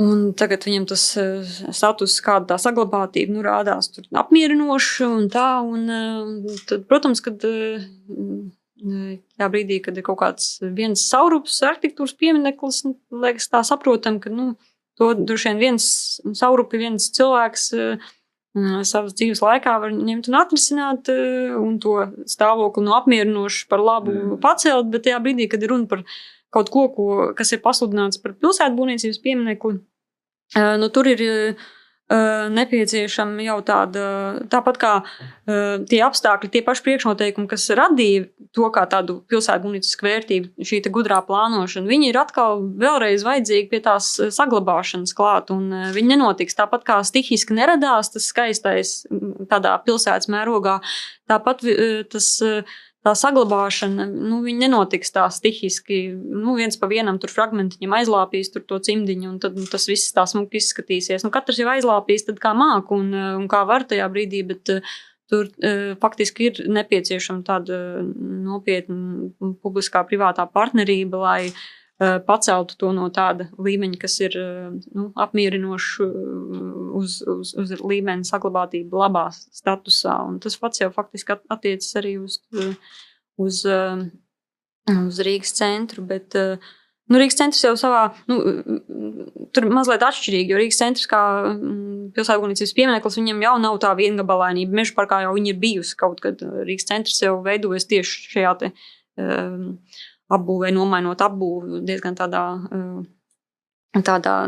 un tagad viņam tas status, kāda tā saglabātība rādās tur apmierinoši un tā. Tad, protams, kad tajā brīdī, kad ir kaut kāds viens saurups arhitektūras piemineklis, liekas tā saprotam, ka to droši vien viens saurupi, viens cilvēks savas dzīves laikā var ņemt un atrisināt un to stāvokli apmierinoši par labu pacelt, bet tajā brīdī, kad ir runa par kaut ko, kas ir pasludināts par pilsētbūvniecības pieminekli, tur ir nepieciešama jau tāpat kā tie apstākļi, tie paši priekšnoteikumi, kas radīja to kā tādu pilsētbūvniecisku vērtību, šī gudrā plānošana, viņi ir atkal vēlreiz vajadzīgi pie tās saglabāšanas klāt, un viņi nenotiks tāpat kā stihiski neradās tas skaistais tādā pilsētas mērogā, tāpat tā saglabāšana, viņi nenotiks tā stihiski, viens pa vienam tur fragmentiņam aizlāpīs tur to cimdiņu, un tad tas viss tā smuki izskatīsies. Katrs jau aizlāpīs tad kā māk un kā var tajā brīdī, bet tur faktiski ir nepieciešama tāda nopietna publiskā privātā partnerība, lai paceltu to no tāda līmeņa, kas ir apmierinoši uz līmeni saglabātība labā statusā. Un tas pats jau faktiski attiecas arī uz Rīgas centru, bet Rīgas centrs jau savā, tur mazliet atšķirīgi, jo Rīgas centrs kā pilsētbūvniecības piemineklis, viņam jau nav tā viengabalainība. Meža parkā jau viņa ir bijusi kaut kad. Rīgas centrs jau veidojas tieši šajā te apbūvē, nomainot apbūvi diezgan tādā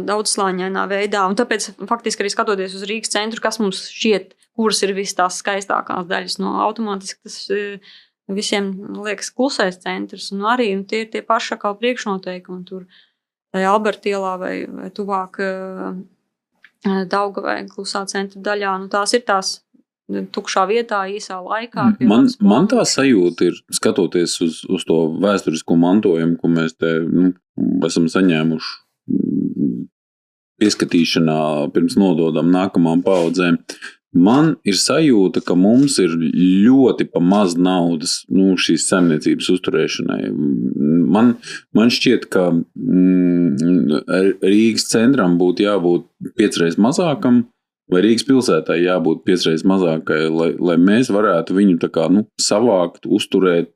daudzslāņainā veidā. Un tāpēc faktiski arī skatoties uz Rīgas centru, kas mums šķiet, kuras ir visas tās skaistākās daļas, automātiski tas visiem liekas klusais centrs. Un arī tie ir tie paši kā priekšnoteikumi tur Alberta ielā vai tuvāk Daugavai klusā centra daļā. Tās ir tās tukšā vietā, īsā laikā. Man tā sajūta ir, skatoties uz to vēsturisko mantojumu, ko mēs te esam saņēmuši pieskatīšanā, pirms nododam nākamām paudzēm. Man ir sajūta, ka mums ir ļoti pa maz naudas šīs saimniecības uzturēšanai. Man šķiet, ka Rīgas centram būtu jābūt 5 reizes mazākam, vai Rīgas pilsētai jābūt 5 reizes mazākai, lai mēs varētu viņu tā kā, savākt, uzturēt,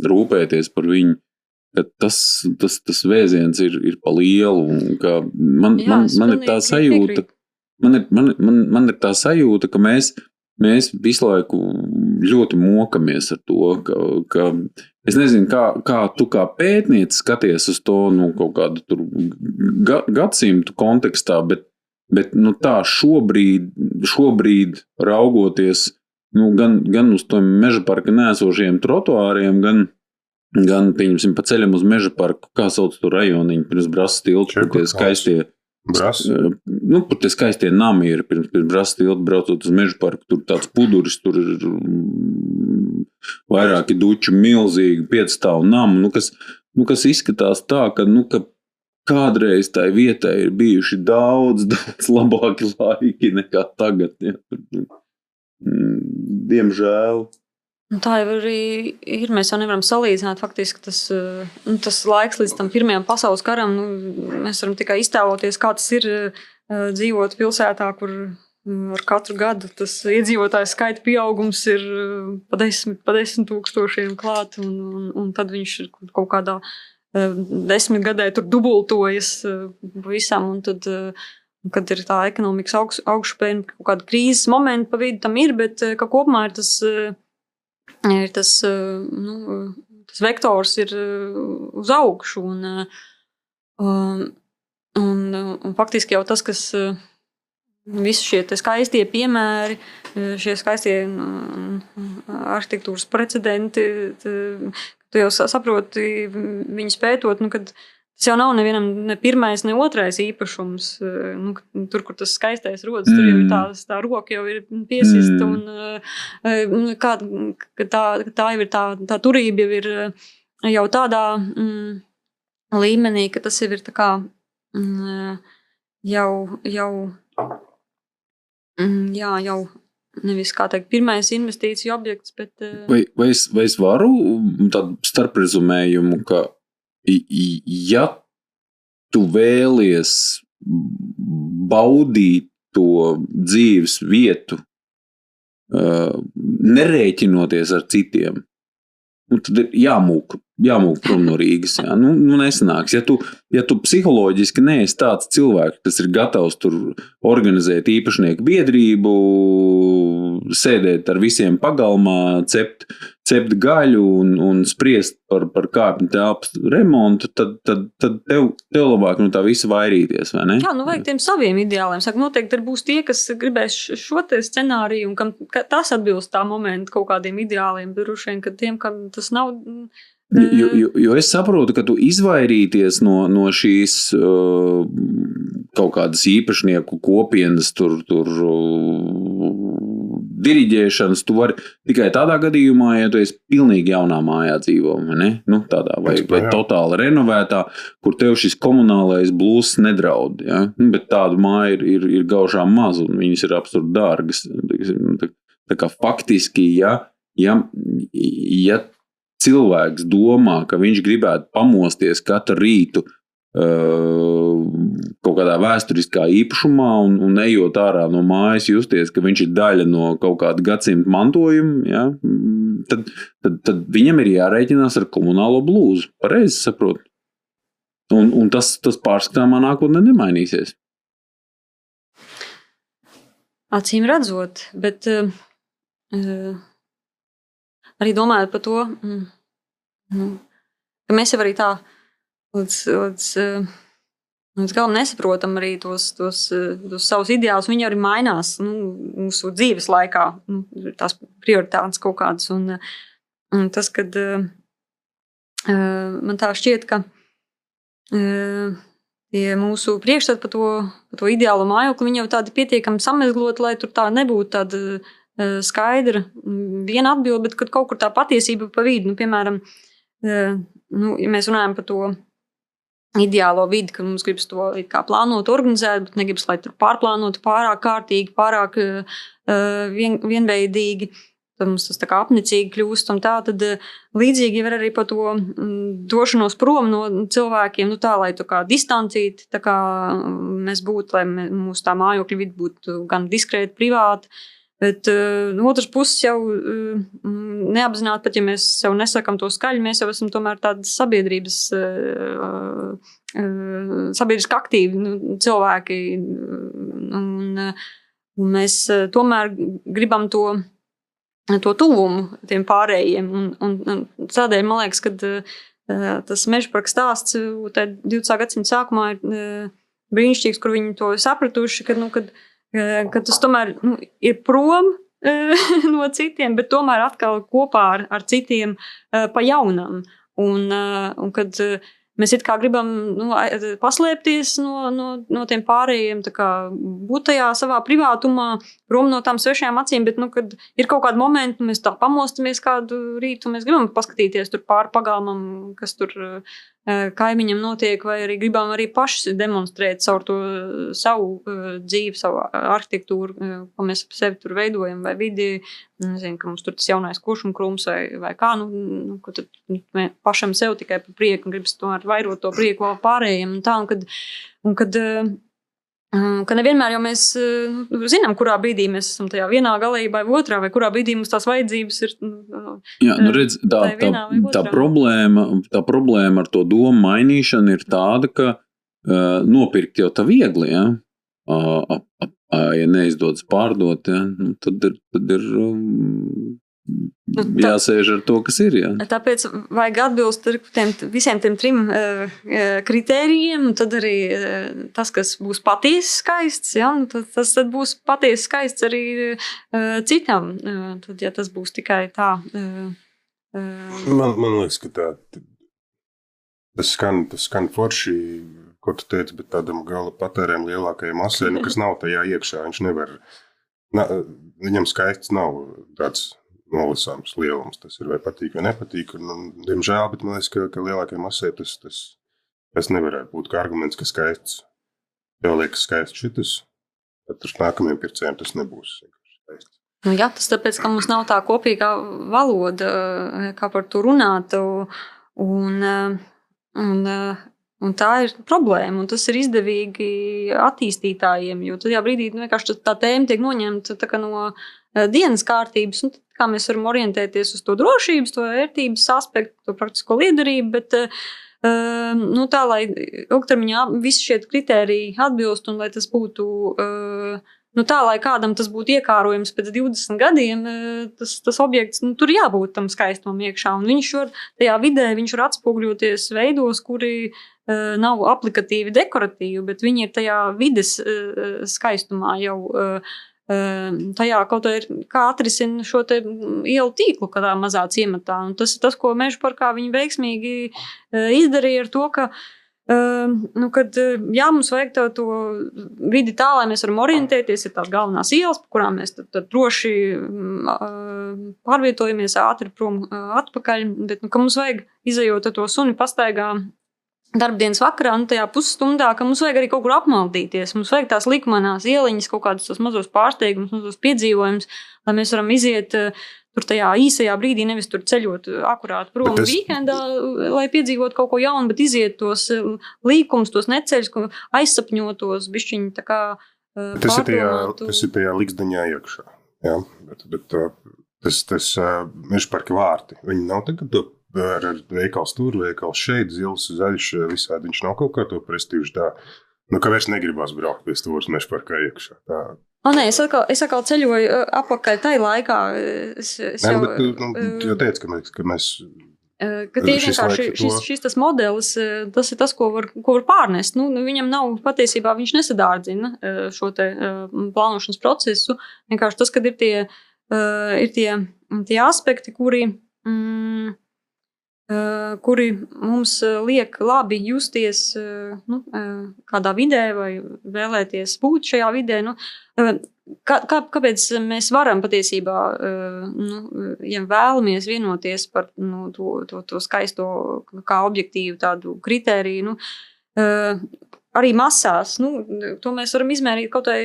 rūpēties par viņu. Tas vēziens ir pa lielu. Un ka man ir tā sajūta, man ir tā sajūta, ka mēs visu laiku ļoti mokamies ar to, ka es nezinu, kā tu kā pētniece skaties uz to kaut kādu tur gadsimtu kontekstā, bet tā šobrīd raugoties gan uz to meža parka neesošiem trotuāriem, gan pieņemsim pa ceļam uz meža parku, kā sauc to rajoniņu, pirms Brasas tilta, tie skaistie tie skaistie nami ir pirms Brasas tilta, braucot uz meža parku, tur tāds puduris, tur ir vairāki duči milzīgi 5-stāvu namu, kas izskatās tā, ka kādreiz tai vietai ir bijuši daudz labāki laiki nekā tagad. Ja. Diemžēl. Tā jau arī ir. Mēs jau nevaram salīdzināt faktiski tas laiks līdz tam Pirmajam pasaules karam. Mēs varam tikai iztēloties, kā tas ir dzīvot pilsētā, kur ar katru gadu tas iedzīvotāju skaita pieaugums ir pa 10 tūkstošiem klāt, un tad viņš ir kaut kādā 10 gadē tur dubultojas visam, un tad, kad ir tā ekonomikas augšupēja, kaut kāda krīzes momenta pa vidu tam ir, bet ka kopumā ir tas vektors ir uz augšu, un faktiski jau tas, kas visi šie skaistie piemēri, šie skaistie arhitektūras precedenti, tu jau saproti viņus pētot, kad tas jau nav nevienam ne pirmais, ne otrais īpašums. Tur, kur tas skaistais rodas, tur jau ir tā roka jau ir piesista, un tā jau ir tā turība jau ir jau tādā līmenī, ka tas jau ir tā kā jau nevis, kā teikt, pirmais investīciju objekts, bet... Vai es varu tādu starprezumējumu, ka ja tu vēlies baudīt to dzīves vietu, nerēķinoties ar citiem, tad ir jāmūk prom no Rīgas. Jā. Nesanāks. Ja tu psiholoģiski neesi tāds cilvēks, kas ir gatavs tur organizēt īpašnieku biedrību, sēdēt ar visiem pagalmā, cept gaļu un spriest par kāpņu telpas remontu, tad tev labāk no tā visa vairīties, vai ne? Jā, vajag tiem saviem ideāliem. Saka, noteikti būs tie, kas gribēs šo te scenāriju, un kam tas atbilst tā momenta kaut kādiem ideāliem, droši vien, ka tiem, kam tas nav... Jo es saprotu, ka tu izvairīties no šīs kaut kādas īpašnieku kopienas tur diriģēšanas, tu vari tikai tādā gadījumā, ja tu esi pilnīgi jaunā mājā dzīvo, ne? Tādā vai totāli renovētā, kur tev šis komunālais blūzs nedraud, ja? Bet tādu māju ir gaužām maz, un viņas ir absurdi dārgas. Tā kā faktiski, ja cilvēks domā, ka viņš gribētu pamosties katru rītu kaut kādā vēsturiskā īpašumā un ejot ārā no mājas justies, ka viņš ir daļa no kaut kāda gadsimta mantojuma, ja, tad viņam ir jārēķinās ar komunālo blūzu. Pareizi saprot. Un tas pārskatāmā nākotnē nemainīsies. Acīm redzot, bet arī domājot par to, ka mēs jau arī tā līdz galam nesaprotam arī tos savus ideālus. Viņi arī mainās mūsu dzīves laikā, tās prioritātes kaut kādas. Un tas, kad man tā šķiet, ka tie mūsu priekšstati par to ideālo mājokli, viņi jau tādi pietiekami samezgloti, lai tur tā nebūtu tāda skaidra viena atbilde, bet kad kaut kur tā patiesība pa vidu, piemēram, ja mēs runājam par to ideālo vidi, ka mums gribas to kā plānot, organizēt, bet negribas, lai tur pārplānotu pārāk kārtīgi, pārāk vienveidīgi, tad mums tas tā kā apnicīgi kļūst un tā, tad līdzīgi var arī par to došanos prom no cilvēkiem, tā, lai tā kā distancīti, tā kā mēs būtu, lai mūsu tā mājokļa vidi būtu gan diskrēti, privāti, bet no otras puses jau neapzināti, pat ja mēs sev nesakam to skaļi, mēs jau esam tomēr tādas sabiedriski aktīvi cilvēki, un mēs tomēr gribam to tuvumu tiem pārējiem, un tādēļ man liekas, ka tas Mežaparka stāsts 20. gadsimta sākumā ir brīnišķīgs, kur viņi to sapratuši, ka tas tomēr ir prom no citiem, bet tomēr atkal kopā ar citiem pa jaunam. Un kad mēs it kā gribam paslēpties no tiem pārējiem, tā kā būt tajā savā privātumā, prom no tām svešajām acīm, bet, kad ir kaut kādi momenti, mēs tā pamostamies kādu rītu, mēs gribam paskatīties tur pāri pagalmam, kas tur kaimiņam notiek, vai arī gribam arī paši demonstrēt caur to savu dzīvi, savu arhitektūru, ko mēs ap sevi tur veidojam, vai vidi, nezinu, ka mums tur tas jaunais kuršumkrūms vai kā, ko tad pašam sev tikai par prieku un gribas tomēr vairot to prieku vēl pārējiem un tā, un kad ka nevienmēr jau mēs zinām, kurā brīdī mēs esam tajā vienā galējībā vai otrā, vai kurā brīdī mums tās vajadzības ir Jā, redz, tā problēma ar to domu mainīšanu ir tāda, ka nopirkt jau tā viegli, ja? Ja neizdodas pārdot, ja? Tad ir jāsēž ar to, kas ir. Jā. Tāpēc vajag atbilst visiem tiem 3 kritērijiem, un tad arī tas, kas būs patiesi skaists, ja, tas tad būs patiesi skaists arī citam. Tad, ja tas būs tikai tā. Man liekas, ka tas skan forši, ko tu teici, bet tādam gala patērēm lielākajai masai, kas nav tajā iekšā, viņš nevar, viņam skaists nav tāds nolasāms lielums, tas ir vai patīk vai nepatīk, un diemžēl, bet man liekas, ka lielākajai masai tas nevarētu būt kā arguments, ka skaists, tev liekas skaists šitas, tad ar nākamajiem pircējiem tas nebūs skaists. Jā, tas tāpēc, ka mums nav tā kopīgā valoda, kā par to runāt, un tā ir problēma, un tas ir izdevīgi attīstītājiem, jo tajā brīdī vienkārši tā tēma tiek noņemta tā kā no dienas kārtības, un kā mēs varam orientēties uz to drošības, to vērtības aspektu, to praktisko liederību, bet tā, lai ilgtermiņā visi šie kritēriji atbilst un lai tas būtu tā, lai kādam tas būtu iekārojams pēc 20 gadiem, tas objekts, tur jābūt tam skaistumam iekšā, un viņš var tajā vidē, viņš var atspoguļoties veidos, kuri nav aplikatīvi dekoratīvi, bet viņi ir tajā vides skaistumā jau tajā kaut kā ir, kā atrisina šo te ielu tīklu kādā mazā ciematā. Un tas ir tas, ko Meža parkā viņi veiksmīgi izdarīja ar to, ka kad mums vajag to vidi tā, lai mēs varam orientēties, ir tās galvenās ielas, pa kurām mēs tad droši pārvietojamies ātri prom atpakaļ, bet ka mums vajag izejot ar to suni pastaigā darbdienas vakarā, tajā pusstundā, ka mums vajag arī kaut kur apmaldīties. Mums vajag tās likumanās ieliņas, kaut kādus tos mazos pārsteigumus, mazos piedzīvojumus, lai mēs varam iziet tur tajā īsajā brīdī, nevis tur ceļot akurāt prom vīkendā, lai piedzīvot kaut ko jaunu, bet iziet tos līkumus, tos neceļus, aizsapņotos, bišķiņi tā kā pārdomātu. Tas ir tajā liksdaņā iekšā. Jā, bet tas Meža parka vārti, viņi nav tagad ar veikals tur, veikals šeit, zils, zaļš, visādi viņš nav kaut kā to prestīžu tā, ka vairs negribās braukt pie stūras Meža parkā iekšā. Tā. Es atkal ceļoju apakaļ tai laikā. Tu teici, ka mēs... Ka tie vienkārši šis tas modelis, tas ir tas, ko var pārnest. Viņam nav, patiesībā viņš nesadārdzina šo te plānošanas procesu. Vienkārši tas, kad ir tie aspekti, kuri mums liek labi justies kādā vidē vai vēlēties būt šajā vidē. Kāpēc mēs varam patiesībā, ja vēlamies vienoties par to skaisto kā objektīvu tādu kritēriju, arī masās, to mēs varam izmērīt kaut vai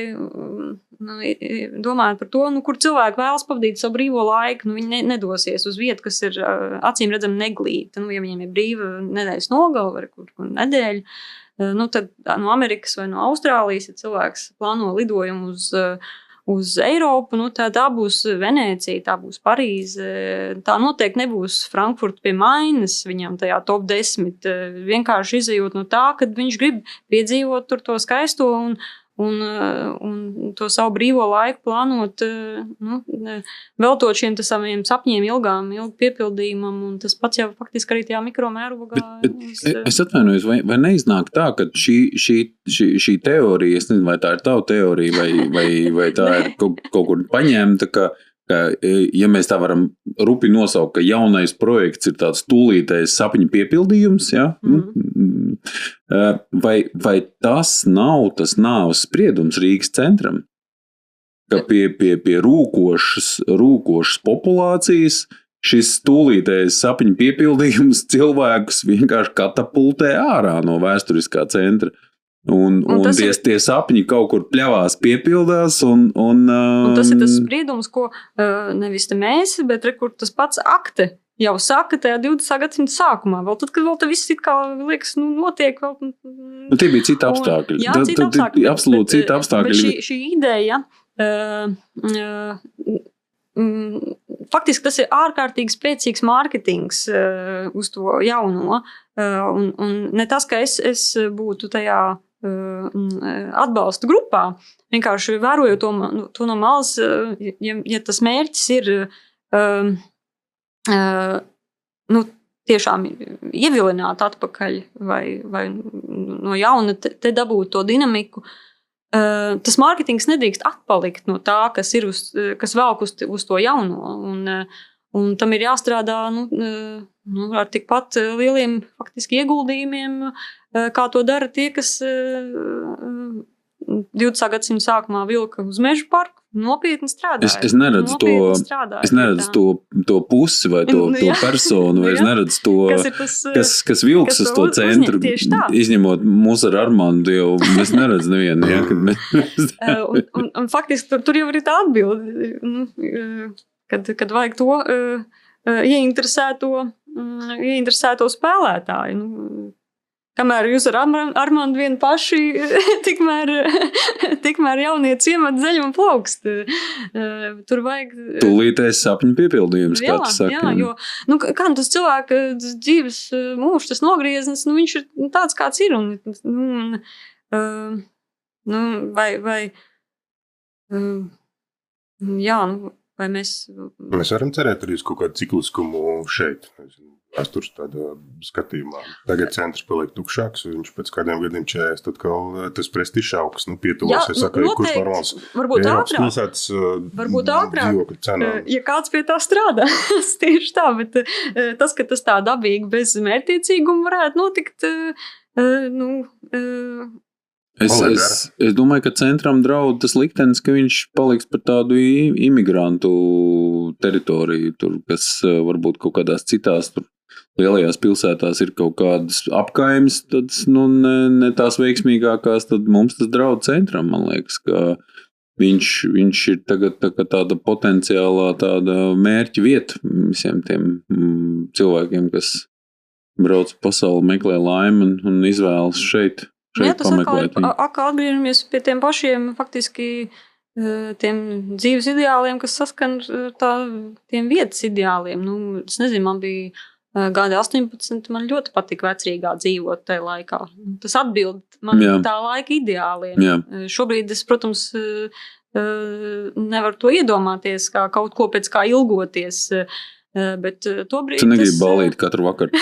domājot par to, kur cilvēki vēlas pavadīt savu brīvo laiku, viņi nedosies uz vietu, kas ir acīm redzam neglīta. Ja viņiem ir brīva nedēļas nogala vai kur nedēļa, tad no Amerikas vai no Austrālijas, ja cilvēks plāno lidojumu uz Eiropu, tā būs Venēcija, tā būs Parīze, tā noteikti nebūs Frankfurta pie Mainas viņam tajā top 10, vienkārši izejot no tā, kad viņš grib piedzīvot tur to skaisto un to savu brīvo laiku plānot, veltot šiem saviem sapņiem ilgu piepildījumam, un tas pats jau faktiski arī tajā mikromērogā. Es atvainojos, vai neiznāk tā, ka šī teorija, es nezinu, vai tā ir tava teorija, vai tā ir kaut kur paņemta, ka ja mēs tā varam rupi nosaukt, ka jaunais projekts ir tāds tūlītais sapņu piepildījums, ja? Vai tas nav tas nāves spriedums Rīgas centram, ka pie rūkošas populācijas šis tūlītais sapņu piepildījums cilvēkus vienkārši katapultē ārā no vēsturiskā centra. Un tie sapņi kaut kur pļavās piepildās. Un tas ir tas spriedums, ko nevis te mēs, bet kur tas pats akte jau saka tajā 20. gadsimta sākumā, vēl tad, kad vēl te viss it kā liekas, notiek vēl. Tie bija citi apstākļi. Jā, citi apstākļi. Absolūti citi apstākļi. Bet šī ideja, faktiski tas ir ārkārtīgi spēcīgs mārketings uz to jauno, un ne tas, ka es būtu tajā atbalsta grupā, vienkārši vērojot to no malas, ja tas mērķis ir tiešām ievilināt atpakaļ vai no jauna te dabūt to dinamiku, tas mārketings nedrīkst atpalikt no tā, kas velk uz to jauno, un tam ir jāstrādā ar tikpat lieliem faktiski ieguldījumiem, kā to dara tie, kas 20. gadsimta sākumā vilka uz mežu parku, nopietni strādāja. Es neredzu to pusi vai to personu, vai es neredzu to, kas vilks uz to centru, izņemot mūs ar Armandu, jau es neredzu nevienu. Un faktiski tur jau ir tā atbilde, kad vajag to ieinteresēto spēlētāju. Kamēr jūs ar Armandu vien paši, tikmēr jaunie ciemat zeļ un plaukst. Tur vajag... Tūlītēs sapņu piepildījums, kā tu saki. Jā, jo, kā tas cilvēka dzīves mūžs, tas nogrieznis, viņš ir tāds, kāds ir. Vai mēs varam cerēt arī uz kaut kādu cikliskumu šeit, vēstures tādā skatījumā. Tagad centrs paliek tukšāks, viņš pēc kādiem gadiem 40, tad tas prestižs augs, pietuvosies, saka, kurš normāls. Varbūt ātrāk, ja kāds pie tā strādā, tieši tā, bet tas, ka tas tā dabīgi bez mērķtiecīguma varētu notikt, Es domāju, ka centram draud tas liktenis, ka viņš paliks par tādu imigrantu teritoriju, tur, kas varbūt kaut kādās citās tur lielajās pilsētās ir kaut kādas apkaimes, tad ne tās veiksmīgākās, tad mums tas draud centram, man liekas, ka viņš ir tagad tāda potenciālā tāda mērķa vieta visiem tiem cilvēkiem, kas brauc pasauli, meklē laimi un izvēlas šeit. Tas atkal atgriežamies pie tiem pašiem faktiski tiem dzīves ideāliem, kas saskan tiem vietas ideāliem. Es nezinu, man bija gadi 18, man ļoti patika Vecrīgā dzīvot tajā laikā. Tas atbild man tā laika ideāliem. Jā. Šobrīd es, protams, nevaru to iedomāties kā kaut ko pēc kā ilgoties, bet tobrīd tu negribi ballīt katru vakaru.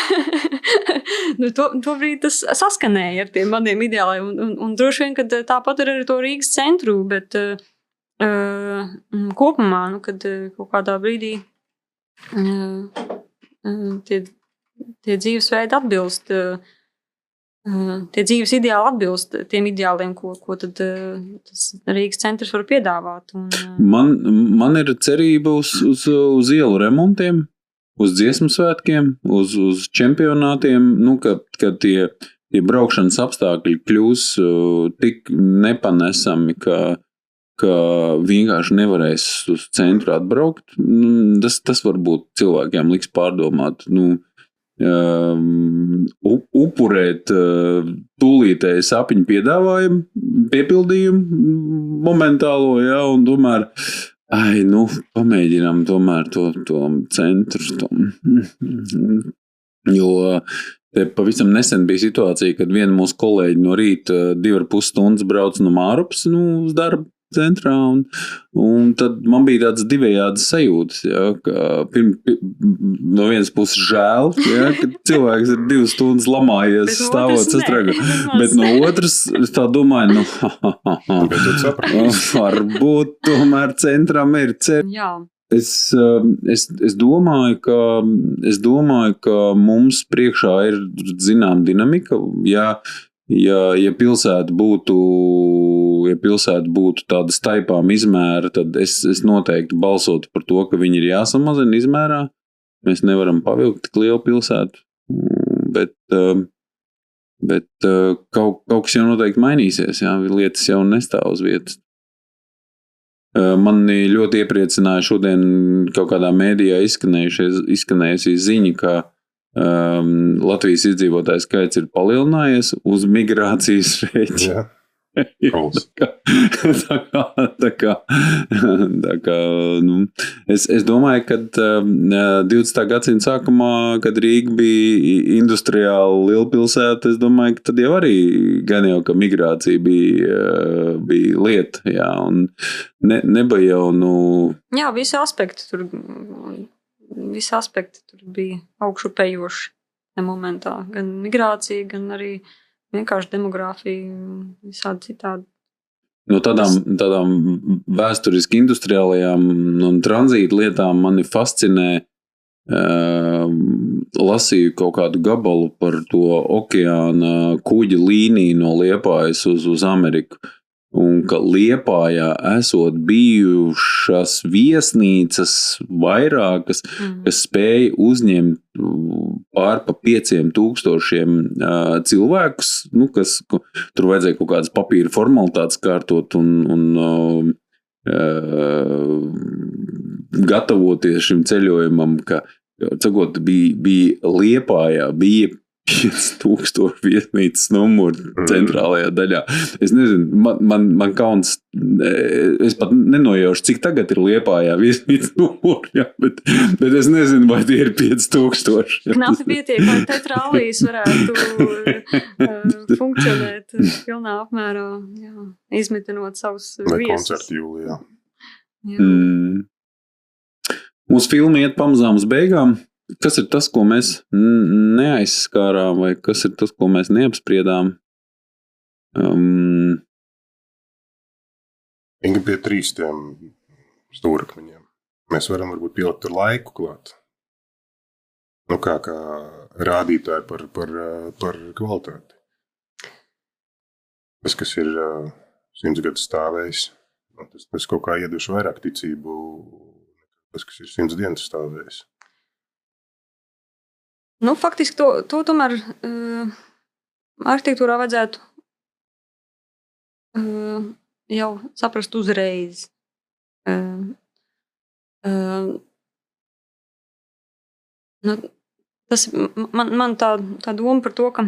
Tobrīd tas saskanēja ar tiem maniem ideāliem, un droši vien, kad tāpat ir arī to Rīgas centru, bet kopumā, kad kaut kādā brīdī tie dzīvesveidi atbilst, tie dzīves ideāli atbilst tiem ideāliem, ko tad tas Rīgas centrs var piedāvāt. Man ir cerība uz ielu remontiem, uz dziesmu svētkiem, uz čempionātiem, kad tie braukšanas apstākļi kļūs tik nepanesami, ka vienkārši nevarēs uz centru atbraukt. Tas varbūt cilvēkiem liks pārdomāt, upurēt tūlītēju sapņu piepildījumu momentālo, un tomēr pamēģinām tomēr to centru. Jo te pavisam nesen bija situācija, kad viena mūsu kolēģi no rīta 2,5 stundas brauc no Mārupas uz darbu centrā, un tad man bija tāds divējādas sajūtas, ka no vienas puses žēl, ka cilvēks ir 2 stundas lamājies, stāvot sastrēgu, bet no otras es tā domāju, varbūt tomēr centram ir ceļš. Jā. Es domāju, ka mums priekšā ir zinām dinamika, ja pilsēta būtu tāda staipām izmēra, tad es noteikti balsotu par to, ka viņi ir jāsamazina izmērā. Mēs nevaram pavilkt tik lielu pilsētu, bet kaut kas jau noteikti mainīsies, lietas jau nestāv uz vietas. Mani ļoti iepriecināja šodien kaut kādā mēdījā izskanējusi ziņa, ka Latvijas iedzīvotāju skaits ir palielinājies uz migrācijas rēķina. Es domāju, ka 20. gadsimta sākumā, kad Rīga bija industriāla lielpilsēta, es domāju, ka tad jau arī gan jau, ka migrācija bija lieta, jā, un nebija jau, Jā, visi aspekti tur bija augšupējoši tajā momentā, gan migrācija, gan arī vienkārši demogrāfija, visādi citādi. No tādām vēsturiski industriālajām un tranzīta lietām mani fascinē, lasīju kaut kādu gabalu par to okeāna kuģa līniju no Liepājas uz Ameriku. Un ka Liepājā esot bijušas viesnīcas vairākas, kas spēja uzņemt pār pa 5,000 cilvēkus, kas tur vajadzēja kaut kādas papīra formalitātes kārtot un gatavoties šim ceļojumam, ka cikot bija Liepājā, bija 5,000 viesnīcas numuru centrālajā daļā. Es nezinu, man kauns, es pat nenojaušu, cik tagad ir Liepājā viesnīcas numuri, jā, bet es nezinu, vai tie ir 5,000. Knapi pietiek, lai teatrālijas varētu funkcionēt pilnā apmērā, jā, izmitinot savus viesus. Vai koncertu jūlijā. Mūsu filma iet pamazām uz beigām. Kas ir tas, ko mēs neaizskārām, vai kas ir tas, ko mēs neapspriedām? Inga pie 3 tiem stūrakmeņiem. Mēs varam varbūt pielikt ar laiku klāt. Kā rādītāji par kvalitāti. Tas, kas ir 100 gadus stāvējis, tas kaut kā ieduši vairāk ticību, tas, kas ir 100 dienas stāvējis. Faktiski to tomēr arhitektūrā vajadzētu jau saprast uzreiz. Tas man tā doma par to, ka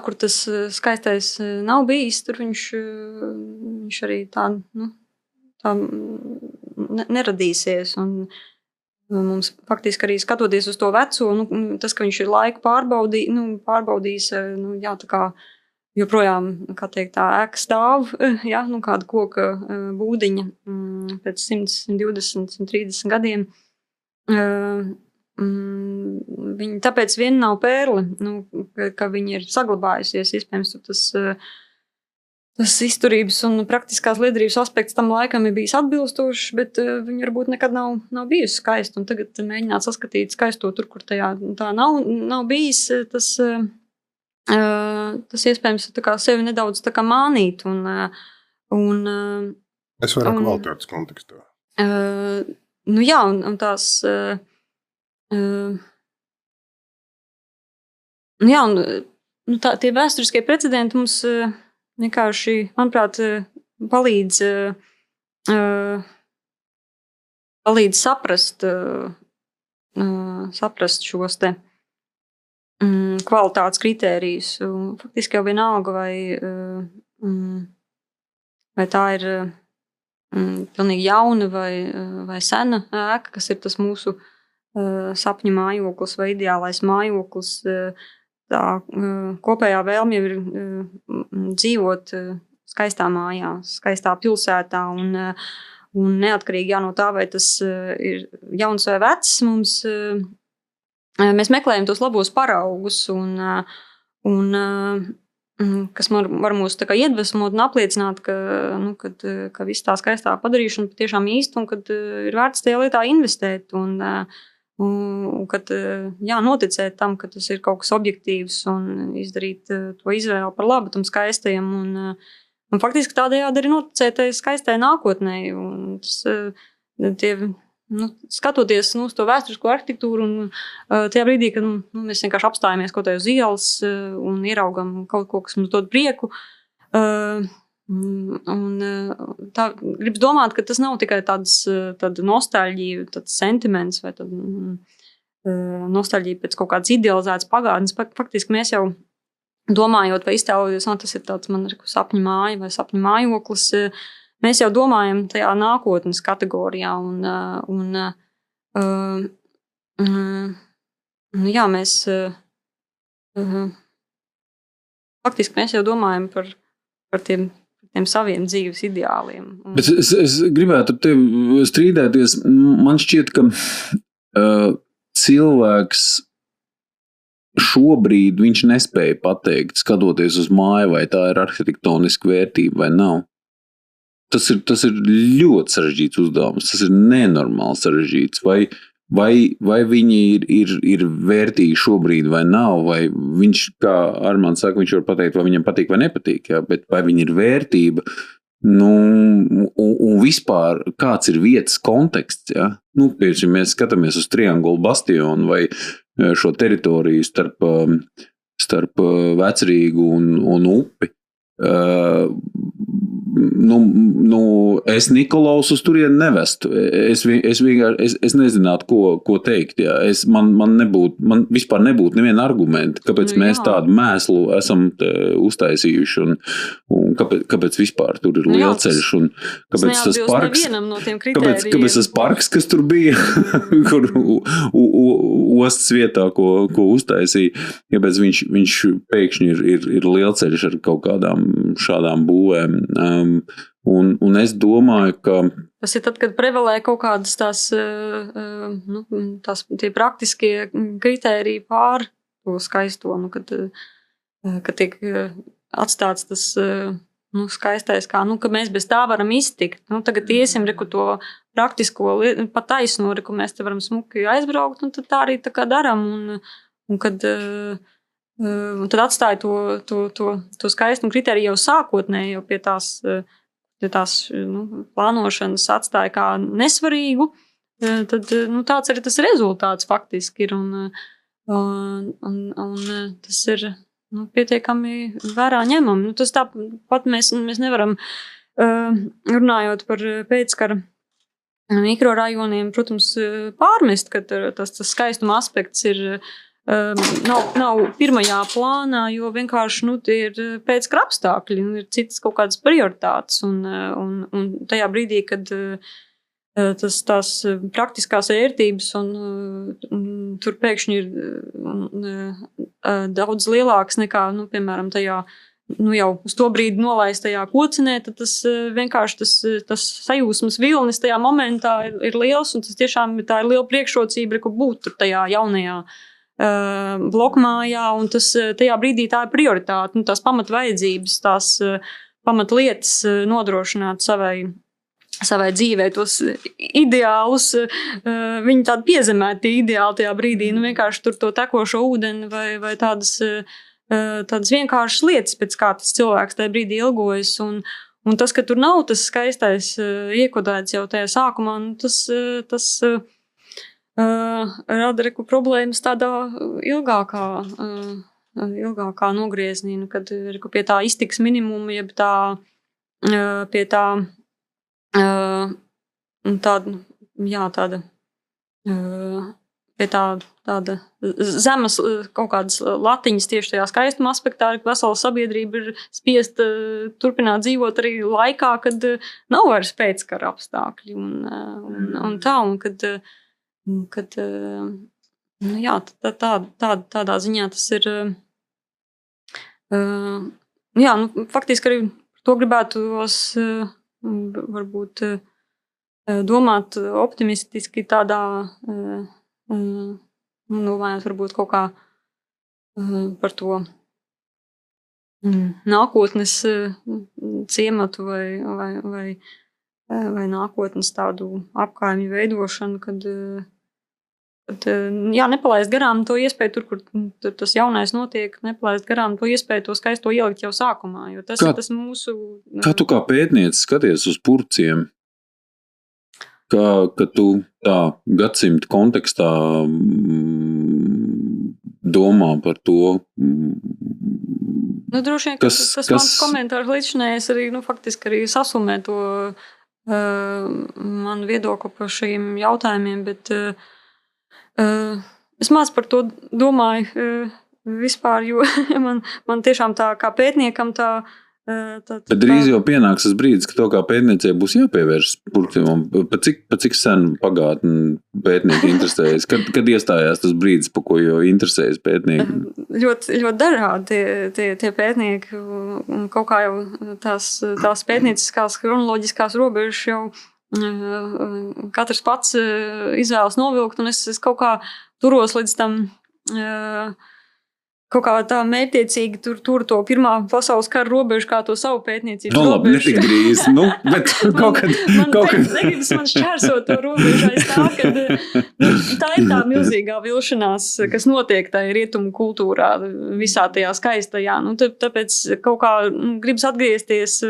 kur tas skaistais nav bijis, tur viņš arī tā neradīsies. Un mums faktiski arī skatoties uz to veco, tas, ka viņš ir laiku pārbaudījis, tā kā joprojām, kā teikt, tā ēka stāv, kāda koka būdiņa pēc 100, 120, 130 gadiem. Viņa tāpēc vien nav pērle, ka viņa ir saglabājusies, iespējams, tas izturības un praktiskās liederības aspekts tam laikam ir bijis atbilstošs, bet viņa varbūt nekad nav bijusi skaista. Un tagad mēģināt saskatīt skaisto tur, kur tā nav bijis, tas iespējams tā kā sevi nedaudz tā kā mānīt. Es vairāk kvalitātes kontekstā. Un tās... tie vēsturiskie precedenti mums... vienkārši, manuprāt, palīdz saprast šos te kvalitātes kritērijus. Faktiski jau vienalga, vai tā ir pilnīgi jauna vai sena ēka, kas ir tas mūsu sapņu mājoklis vai ideālais mājoklis. Tā kopējā vēlme jau ir dzīvot skaistā mājā, skaistā pilsētā un neatkarīgi no tā, vai tas ir jauns vai vecs, mēs meklējam tos labos paraugus un kas var mūs tā kā iedvesmot un apliecināt, ka viss tā skaistā padarīšana patiešām īsta un kad ir vērts tajā lietā investēt un kad noticēt tam, ka tas ir kaut kas objektīvs un izdarīt to izvēli par labu tam skaistajam un faktiski tādējādi arī noticēt tai skaistai nākotnē. Un tas, skatoties uz to vēsturisko arhitektūru un tajā brīdī, kad mēs vienkārši apstājamies kaut kā uz ielas un ieraugam kaut ko, kas mums dod prieku, tā gribas domāt, ka tas nav tikai tāda nostalģija, tāds sentiments vai nostalģija pēc kaut kādas idealizētas pagātnes. Faktiski mēs jau domājot vai iztēloties, tas ir tāds man sapņu māja vai sapņu mājoklis, mēs jau domājam tajā nākotnes kategorijā mēs faktiski mēs jau domājam par tiem saviem dzīves ideāliem. Bet es gribētu ar tevi strīdēties. Man šķiet, ka cilvēks šobrīd viņš nespēja pateikt, skatoties uz māju, vai tā ir arhitektoniska vērtība vai nav. Tas ir ļoti sarežģīts uzdevums, tas ir nenormāli sarežģīts. Vai viņi ir vērtīgi šobrīd vai nav, vai viņš, kā Armāns saka, viņš var pateikt, vai viņam patīk vai nepatīk, jā, bet vai viņi ir vērtība, un vispār kāds ir vietas konteksts, jā. Piemēram, mēs skatāmies uz Triangulu bastionu vai šo teritoriju starp Vecrīgu un upi. Es Nikolaus uz turieni nevestu. Es nezinātu, ko teikt. Jā. Man vispār nebūtu neviena argumenta, kāpēc mēs tādu mēslu esam uztaisījuši un kāpēc vispār tur ir lielceļš un kāpēc tas parks, kāpēc tas parks, kas tur bija, kur ostas vietā, ko uztaisīja, kāpēc viņš pēkšņi ir lielceļš ar kaut kādām šādām būvēm. Un es domāju, ka tas ir tad, kad prevalē kaut kādas tie praktiskie kritēriji pār to skaisto, kad tiek atstāts tas skaistais, kā, ka mēs bez tā varam iztikt. Tagad iesim, to praktisko pa taisno, ko mēs te varam smuki aizbraukt, un tad tā arī tā kā daram, un kad un tad atstāja to skaistumu kritēriju jau sākotnēji, jau pie tās plānošanas atstāja kā nesvarīgu, tad tāds arī tas rezultāts faktiski ir. Un tas ir pietiekami vērā ņemam. Tas tāpat mēs nevaram, runājot par pēckara mikrorajoniem, protams, pārmest, ka tas skaistuma aspekts ir nav pirmajā plānā, jo vienkārši tie ir pēckara apstākļi, ir citas kaut kādas prioritātes. Un tajā brīdī, kad tās praktiskās vērtības un tur pēkšņi ir daudz lielāks nekā, piemēram, tajā jau uz to brīdi nolaistajā kocinē, tad tas vienkārši tas sajūsmas vilnis tajā momentā ir liels, un tas tiešām tā ir liela priekšrocība, ka būt tur tajā jaunajā blokmājā, un tas tajā brīdī tā ir prioritāte, tās pamatvajadzības, tās pamatlietas nodrošināt savai dzīvē, tos ideālus, viņi tādi piezemēti ideāli tajā brīdī, vienkārši tur to tekošo ūdeni vai tādas vienkāršas lietas, pēc kā tas cilvēks tajā brīdī ilgojas, un tas, ka tur nav tas skaistais iekodēts jau tajā sākumā, tas rada problēmas tādā ilgākā nogrieznī, kad pie tā iztiks minimuma, jeb pie tāda zemes kaut kādas latiņas tieši tajā skaistuma aspektā, ka vesela sabiedrība ir spiest turpināt dzīvot arī laikā, kad nav vairs pēckara apstākļi un tādā ziņā tas ir faktiski arī to gribētos varbūt domāt optimistiski tādā domājot varbūt kaut kā par to nākotnes ciematu vai nākotnes tādu apkaimju veidošanu, kad nepalaist garām to iespēju tur, kur tas jaunais notiek, nepalaist garām to iespēju to skaisto ielikt jau sākumā, jo tas ir tas mūsu... Kā tu kā pētniece skaties uz Purciem? Ka tu tā gadsimta kontekstā domā par to, Droši vien, tas mans komentārs līdzinājais arī, faktiski arī sasumē to manu viedokli par šīm jautājumiem, bet es maz par to domāju vispār, jo man tiešām tā kā pētniekam tā. Bet drīz jau pienāks tas brīdis, ka to kā pētniecei būs jāpievērš purcēm. Pa cik sen pagātni pētnieki interesējas? Kad iestājās tas brīdis, pa ko jau interesējas pētnieki? Ļoti dažādi tie pētnieki. Kaut kā jau tās pētnieciskās kronoloģiskās robežas jau katrs pats izvēlas novilkt, un es kaut kā turos līdz tam kaut kā tā mērķtiecīgi tur to Pirmā pasaules kara robežu kā to savu pētniecības robežu. Labi, netik drīz, bet kaut kad. Negribas man šķērsot to robežu aiz tā, kad tā ir tā milzīgā vilšanās, kas notiek tā rietumu kultūrā, visā tajā skaistajā. Tāpēc kaut kā gribas atgriezties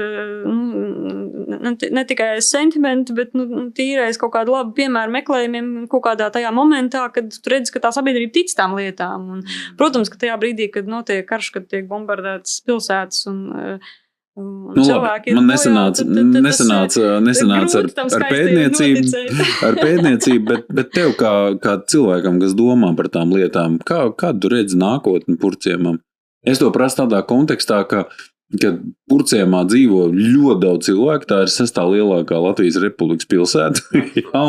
ne tikai sentimenti, bet tīrais kaut kādu labu piemēru meklējumiem kaut kādā tajā momentā, kad tu redzi, ka tā sabiedrība tic tām lietām. Un, protams, ka tajā brīdī, kad notiek karš, kad tiek bombardētas pilsētas un cilvēki man nesanāca ar pētniecību, bet tev kā cilvēkam, kas domā par tām lietām, kādu tu redzi nākotni Purcēmam? Es to prasu tādā kontekstā, ka Purcēmā dzīvo ļoti daudz cilvēku, tā ir 6. lielākā Latvijas Republikas pilsēta. Ja,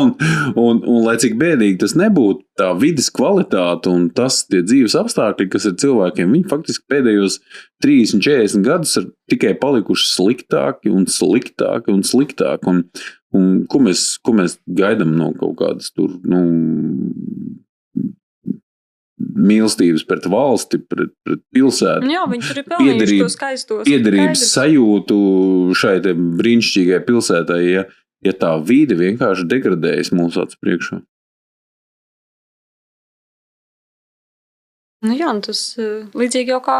un lai cik bēdīgi tas nebūtu, tā vides kvalitāte un tie dzīves apstākļi, kas ir cilvēkiem, viņi faktiski pēdējos 30-40 gadus ir tikai palikuši sliktāki un sliktāki un sliktāki. Un ko mēs gaidām no kaut kādas tur, mīlestības pret valsti, pret pilsētu. Jā, viņi tur ir pelnījuši to skaistos. Piederības sajūtu šai te brīnišķīgai pilsētai, ja tā vide vienkārši degradējas mūsu acu priekšā. Jā, tas līdzīgi jau kā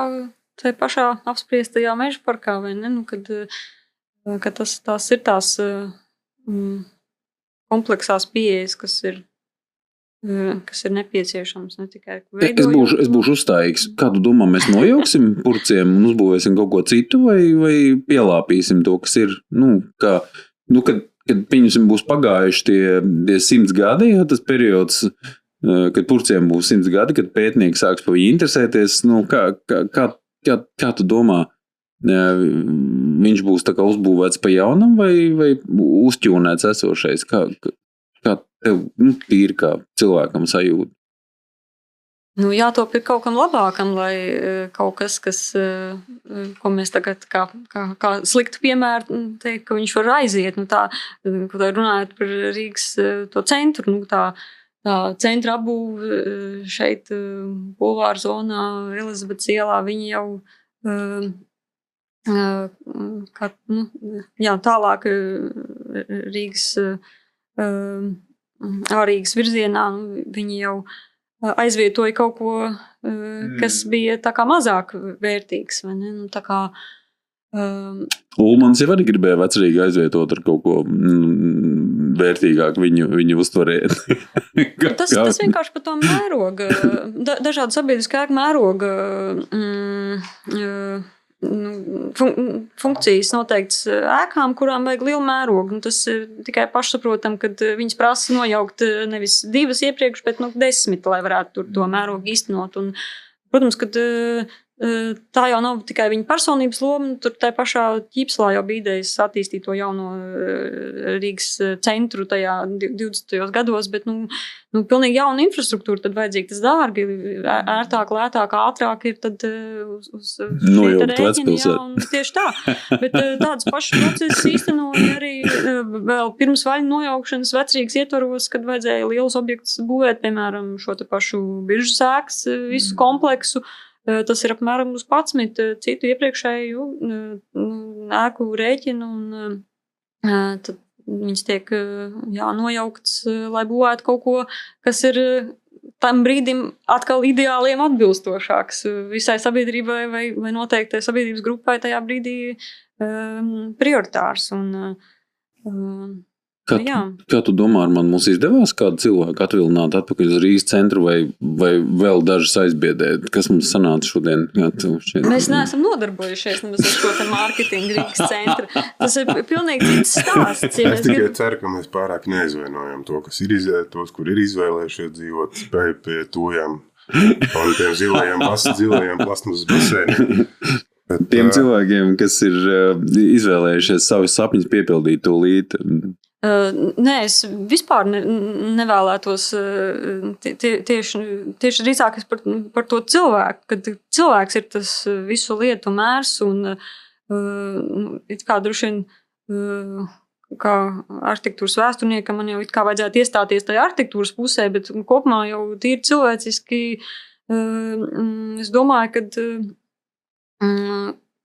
tai pašā apspriestajā meža parkā, vai ne? Kad tās ir tās kompleksās pieejas, kas ir nepieciešams, ne tikai veidojot. Es būšu uzstājīgs. Kādu domā mēs nojauksim Purcēm un uzbūvēsim kaut ko citu vai pielāpīsim to, kas ir, kad pieņemsim būs pagājuši tie 100 gadi, ja, tas periods, kad Purcēm būs 100 gadi, kad pētnieki sāks par viņu interesēties, kā tu domā, viņš būs tā kā uzbūvēts pa jaunam vai uzķūnēts esošais? Kā tev tīri kā cilvēkam sajūta? Jātop ir kaut kam labākam, lai kaut kas, ko mēs tagad kā sliktu piemēru teikt, ka viņš var aiziet. Runājot par Rīgas to centru, tā centra apbūve šeit Bulvāra zonā, Elizabetes ielā, viņi jau tālāk Rīgas ārīgas virzienā, viņi jau aizvietoja kaut ko, kas bija tā kā mazāk vērtīgs, vai ne? Tā kā Ulmans jau arī gribēja Vecrīgu aizvietot ar kaut ko vērtīgāk viņu uztvarēt. Tas vienkārši par to mēroga, dažādu sabiedriskā mēroga funkcijas noteikts ēkām, kurām vajag lielu mērogu. Tas ir tikai pašsaprotam, kad viņas prasa nojaukt nevis 2 iepriekš, bet 10, lai varētu tur to mērogu īstenot. Un, protams, kad tā jau nav tikai viņa personības loma, tur tai pašā Ķīpslā jau bija idejas attīstīt to jauno Rīgas centru tajā 20. gados, bet pilnīgi jauna infrastruktūra, tad vajadzīgi tas dārgi, ērtāk, lētāk, ātrāk ir tad uz nojaukt vecpilsētu. Tieši tā, bet tāds pašs process īstenoja arī vēl pirms vaļu nojaukšanas Vecrīgas ietvaros, kad vajadzēja lielus objektus būvēt, piemēram, šo te pašu biržas ēkas, visu kompleksu. Tas ir apmēram uz 11 citu iepriekšēju ēku rēķinu, un tad viņas tiek nojauktas, lai būvētu kaut ko, kas ir tam brīdim atkal ideāliem atbilstošāks visai sabiedrībai vai noteiktai sabiedrības grupai tajā brīdī prioritārs. Kā tu domā, mums izdevās kādu cilvēku atvilināt atpakaļ uz Rīgas centru vai vēl dažas aizbiedēt? Kas mums sanāca šodien? Mēs neesam nodarbojušies nemaz ar šo te mārketingu Rīgas centru. Tas ir pilnīgi cits stāsts. Es tikai ceru, ka mēs pārāk neizvainojam tos, kur ir izvēlējušies dzīvot pie tujām un tiem zilajiem plasmasas basēniem. Tiem cilvēkiem, kas ir izvēlējušies savus sapņus piepildīt tūlīt. Nē, es vispār nevēlētos tieši drīzāk par to cilvēku, kad cilvēks ir tas visu lietu mērs un it kā droši vien kā arhitektūras vēsturniekam man jau it kā vajadzētu iestāties tajā arhitektūras pusē, bet kopumā jau tīri cilvēciski es domāju,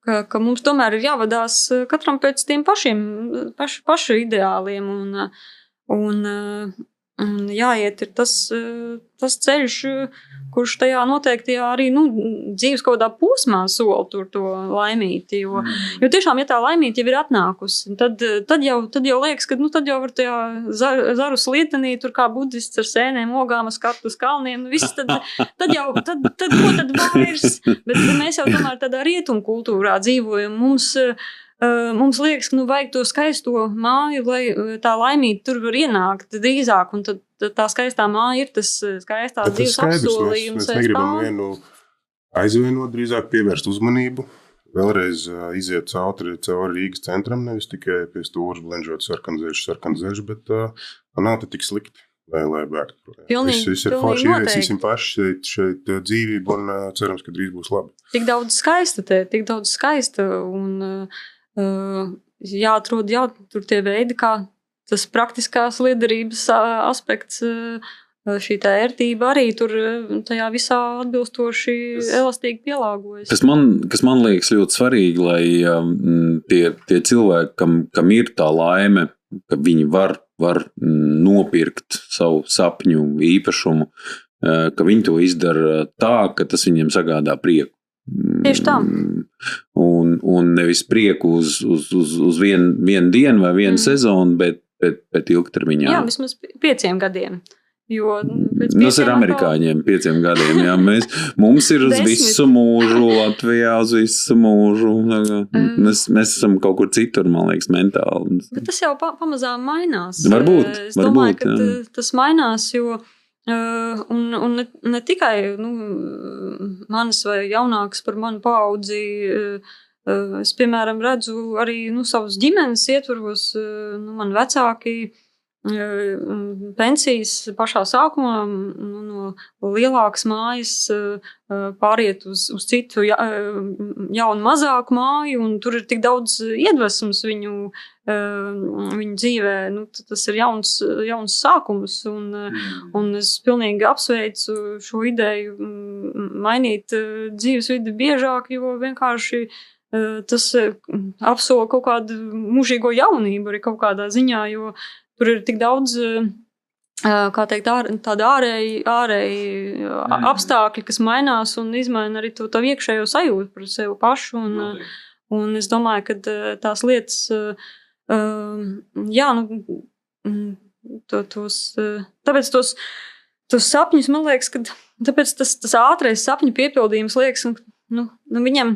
ka mums tomēr ir jāvadās katram pēc tiem pašu ideāliem un jāiet ir tas ceļš, kurš tajā noteiktajā arī dzīves kaut kādā posmā sola tur to laimīti, jo tiešām, ja tā laimīti jau ir atnākusi, tad jau liekas, ka tad jau var tajā zaru slietenī, tur kā budists ar sēnēm, ogām, skatu uz kalniem, viss tad ko tad vairs, bet mēs jau tomēr tādā rietumu kultūrā dzīvojam, mums liekas, ka vajag to skaisto māju, lai tā laimīti tur var ienākt drīzāk, un tad tā skaistā māja ir tas skaistās dzīves apsolījums. Mēs negribam vienu aizvienot, drīzāk pievērst uzmanību, vēlreiz iziet cauri Rīgas centram, nevis tikai pie stūras blenžot sarkanzeļš, bet nav te tik slikti, lai bēgtu. Viss ir forši, ieviesīsim paši šeit dzīvību un cerams, ka drīz būs labi. Tik daudz skaista un jāatrod tur tie veidi, kā tas praktiskās liederības aspekts, šī tā ērtība arī tur tajā visā atbilstoši elastīgi pielāgojas. Kas man liekas ļoti svarīgi, lai tie cilvēki, kam ir tā laime, ka viņi var nopirkt savu sapņu īpašumu, ka viņi to izdara tā, ka tas viņiem sagādā prieku. Tieši tā. Un nevis prieku uz vienu dienu vai vienu sezonu, bet ilgtermiņā. Jā, vismaz 5 gadiem. Jo tas ir amerikāņiem 5 gadiem. Jā, mums ir uz visu mūžu, Latvijā uz visu mūžu. Mēs esam kaut kur citur, man liekas, mentāli. Bet tas jau pamazām mainās. Varbūt. Es domāju, ka tas mainās, jo un ne tikai manas vai jaunākas par manu paudzi, es, piemēram, redzu arī savus ģimenes ietvaros, man vecāki pensijas pašā sākumā no lielākas mājas pāriet uz citu jaunu mazāku māju, un tur ir tik daudz iedvesmas viņu dzīvē, tas ir jauns sākums, un es pilnīgi apsveicu šo ideju mainīt dzīvesvidi biežāk, jo vienkārši tas apsola kaut kādu mūžīgo jaunību arī kaut kādā ziņā, jo tur ir tik daudz, kā teikt, tāda ārēji apstākļi, kas mainās un izmaina arī to iekšējo sajūtu par sevi pašu, un es domāju, ka tās lietas, tāpēc tos sapņus, man liekas, ka tāpēc tas ātrais sapņu piepildījums liekas, viņam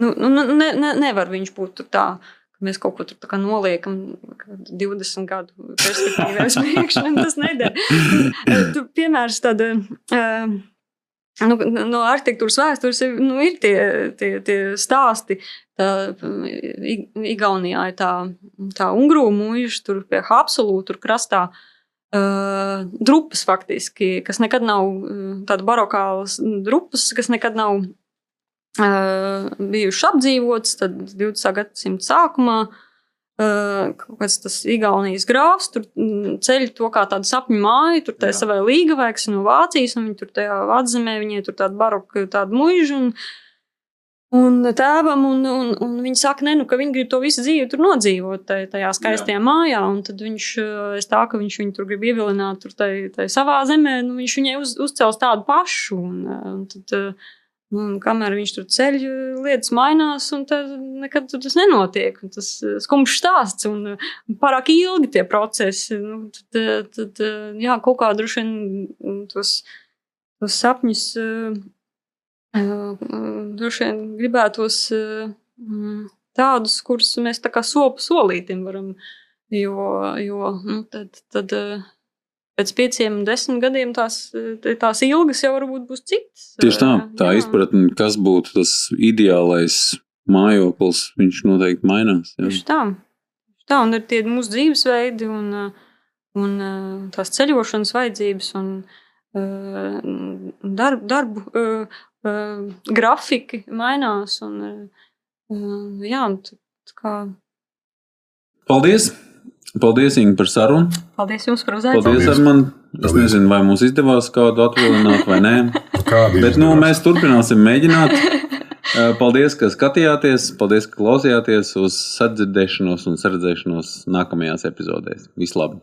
nevar viņš būt tur tā, ka mēs kaut ko tur tā kā noliekam 20 gadu perspektīvā uz priekšu, un tas neder. Tu piemērs tāda, no arhitektūras vēstures ir tie stāsti. Igaunijā ir tā Ungru mūža, tur pie Haapsalu, tur krastā drupas faktiski, kas nekad nav tāda barokālas drupas, kas nekad nav bijuši apdzīvots, tad 20. gadsimta sākumā kaut kāds tas Igaunijas grāfs, tur ceļ to kā tādu sapņu māju, tur tā savai līgavēks no Vācijas, un viņi tur tajā atzemē, viņai tur tāda baroka, tāda muiža, un tēvam, un viņi saka, ka viņi grib to visu dzīvi tur nodzīvot tajā skaistajā mājā, un tad viņš, ka viņš viņu tur grib ievilināt tur tai savā zemē, viņš viņai uzcels tādu pašu, un tad Un kamēr viņš tur ceļ, lietas mainās, un nekad tas nenotiek. Un tas skumjš stāsts, un pārāk ilgi tie procesi. Nu, tad jā, kaut kā droši vien tos sapņus droši vien gribētos tādus, kurus mēs tā kā solītim varam, jo nu, tad pēc 5-10 gadiem tās ilgas jau varbūt būs citas. Tieši tā izpratne, kas būtu tas ideālais mājoklis, viņš noteikti mainās. Jā. Tieši tā, un ir tie mūsu dzīvesveidi un tās ceļošanas vajadzības un darbu grafiki mainās. Jā, tā kā... Paldies, Inga, par sarunu. Paldies jums par uzaicinājumu. Paldies, Arman. Es nezinu, vai mums izdevās kādu atvilināt vai nē. Bet mēs turpināsim mēģināt. Paldies, ka skatījāties. Paldies, ka klausījāties uz sadzirdēšanos un saredzēšanos nākamajās epizodēs. Vislabāk!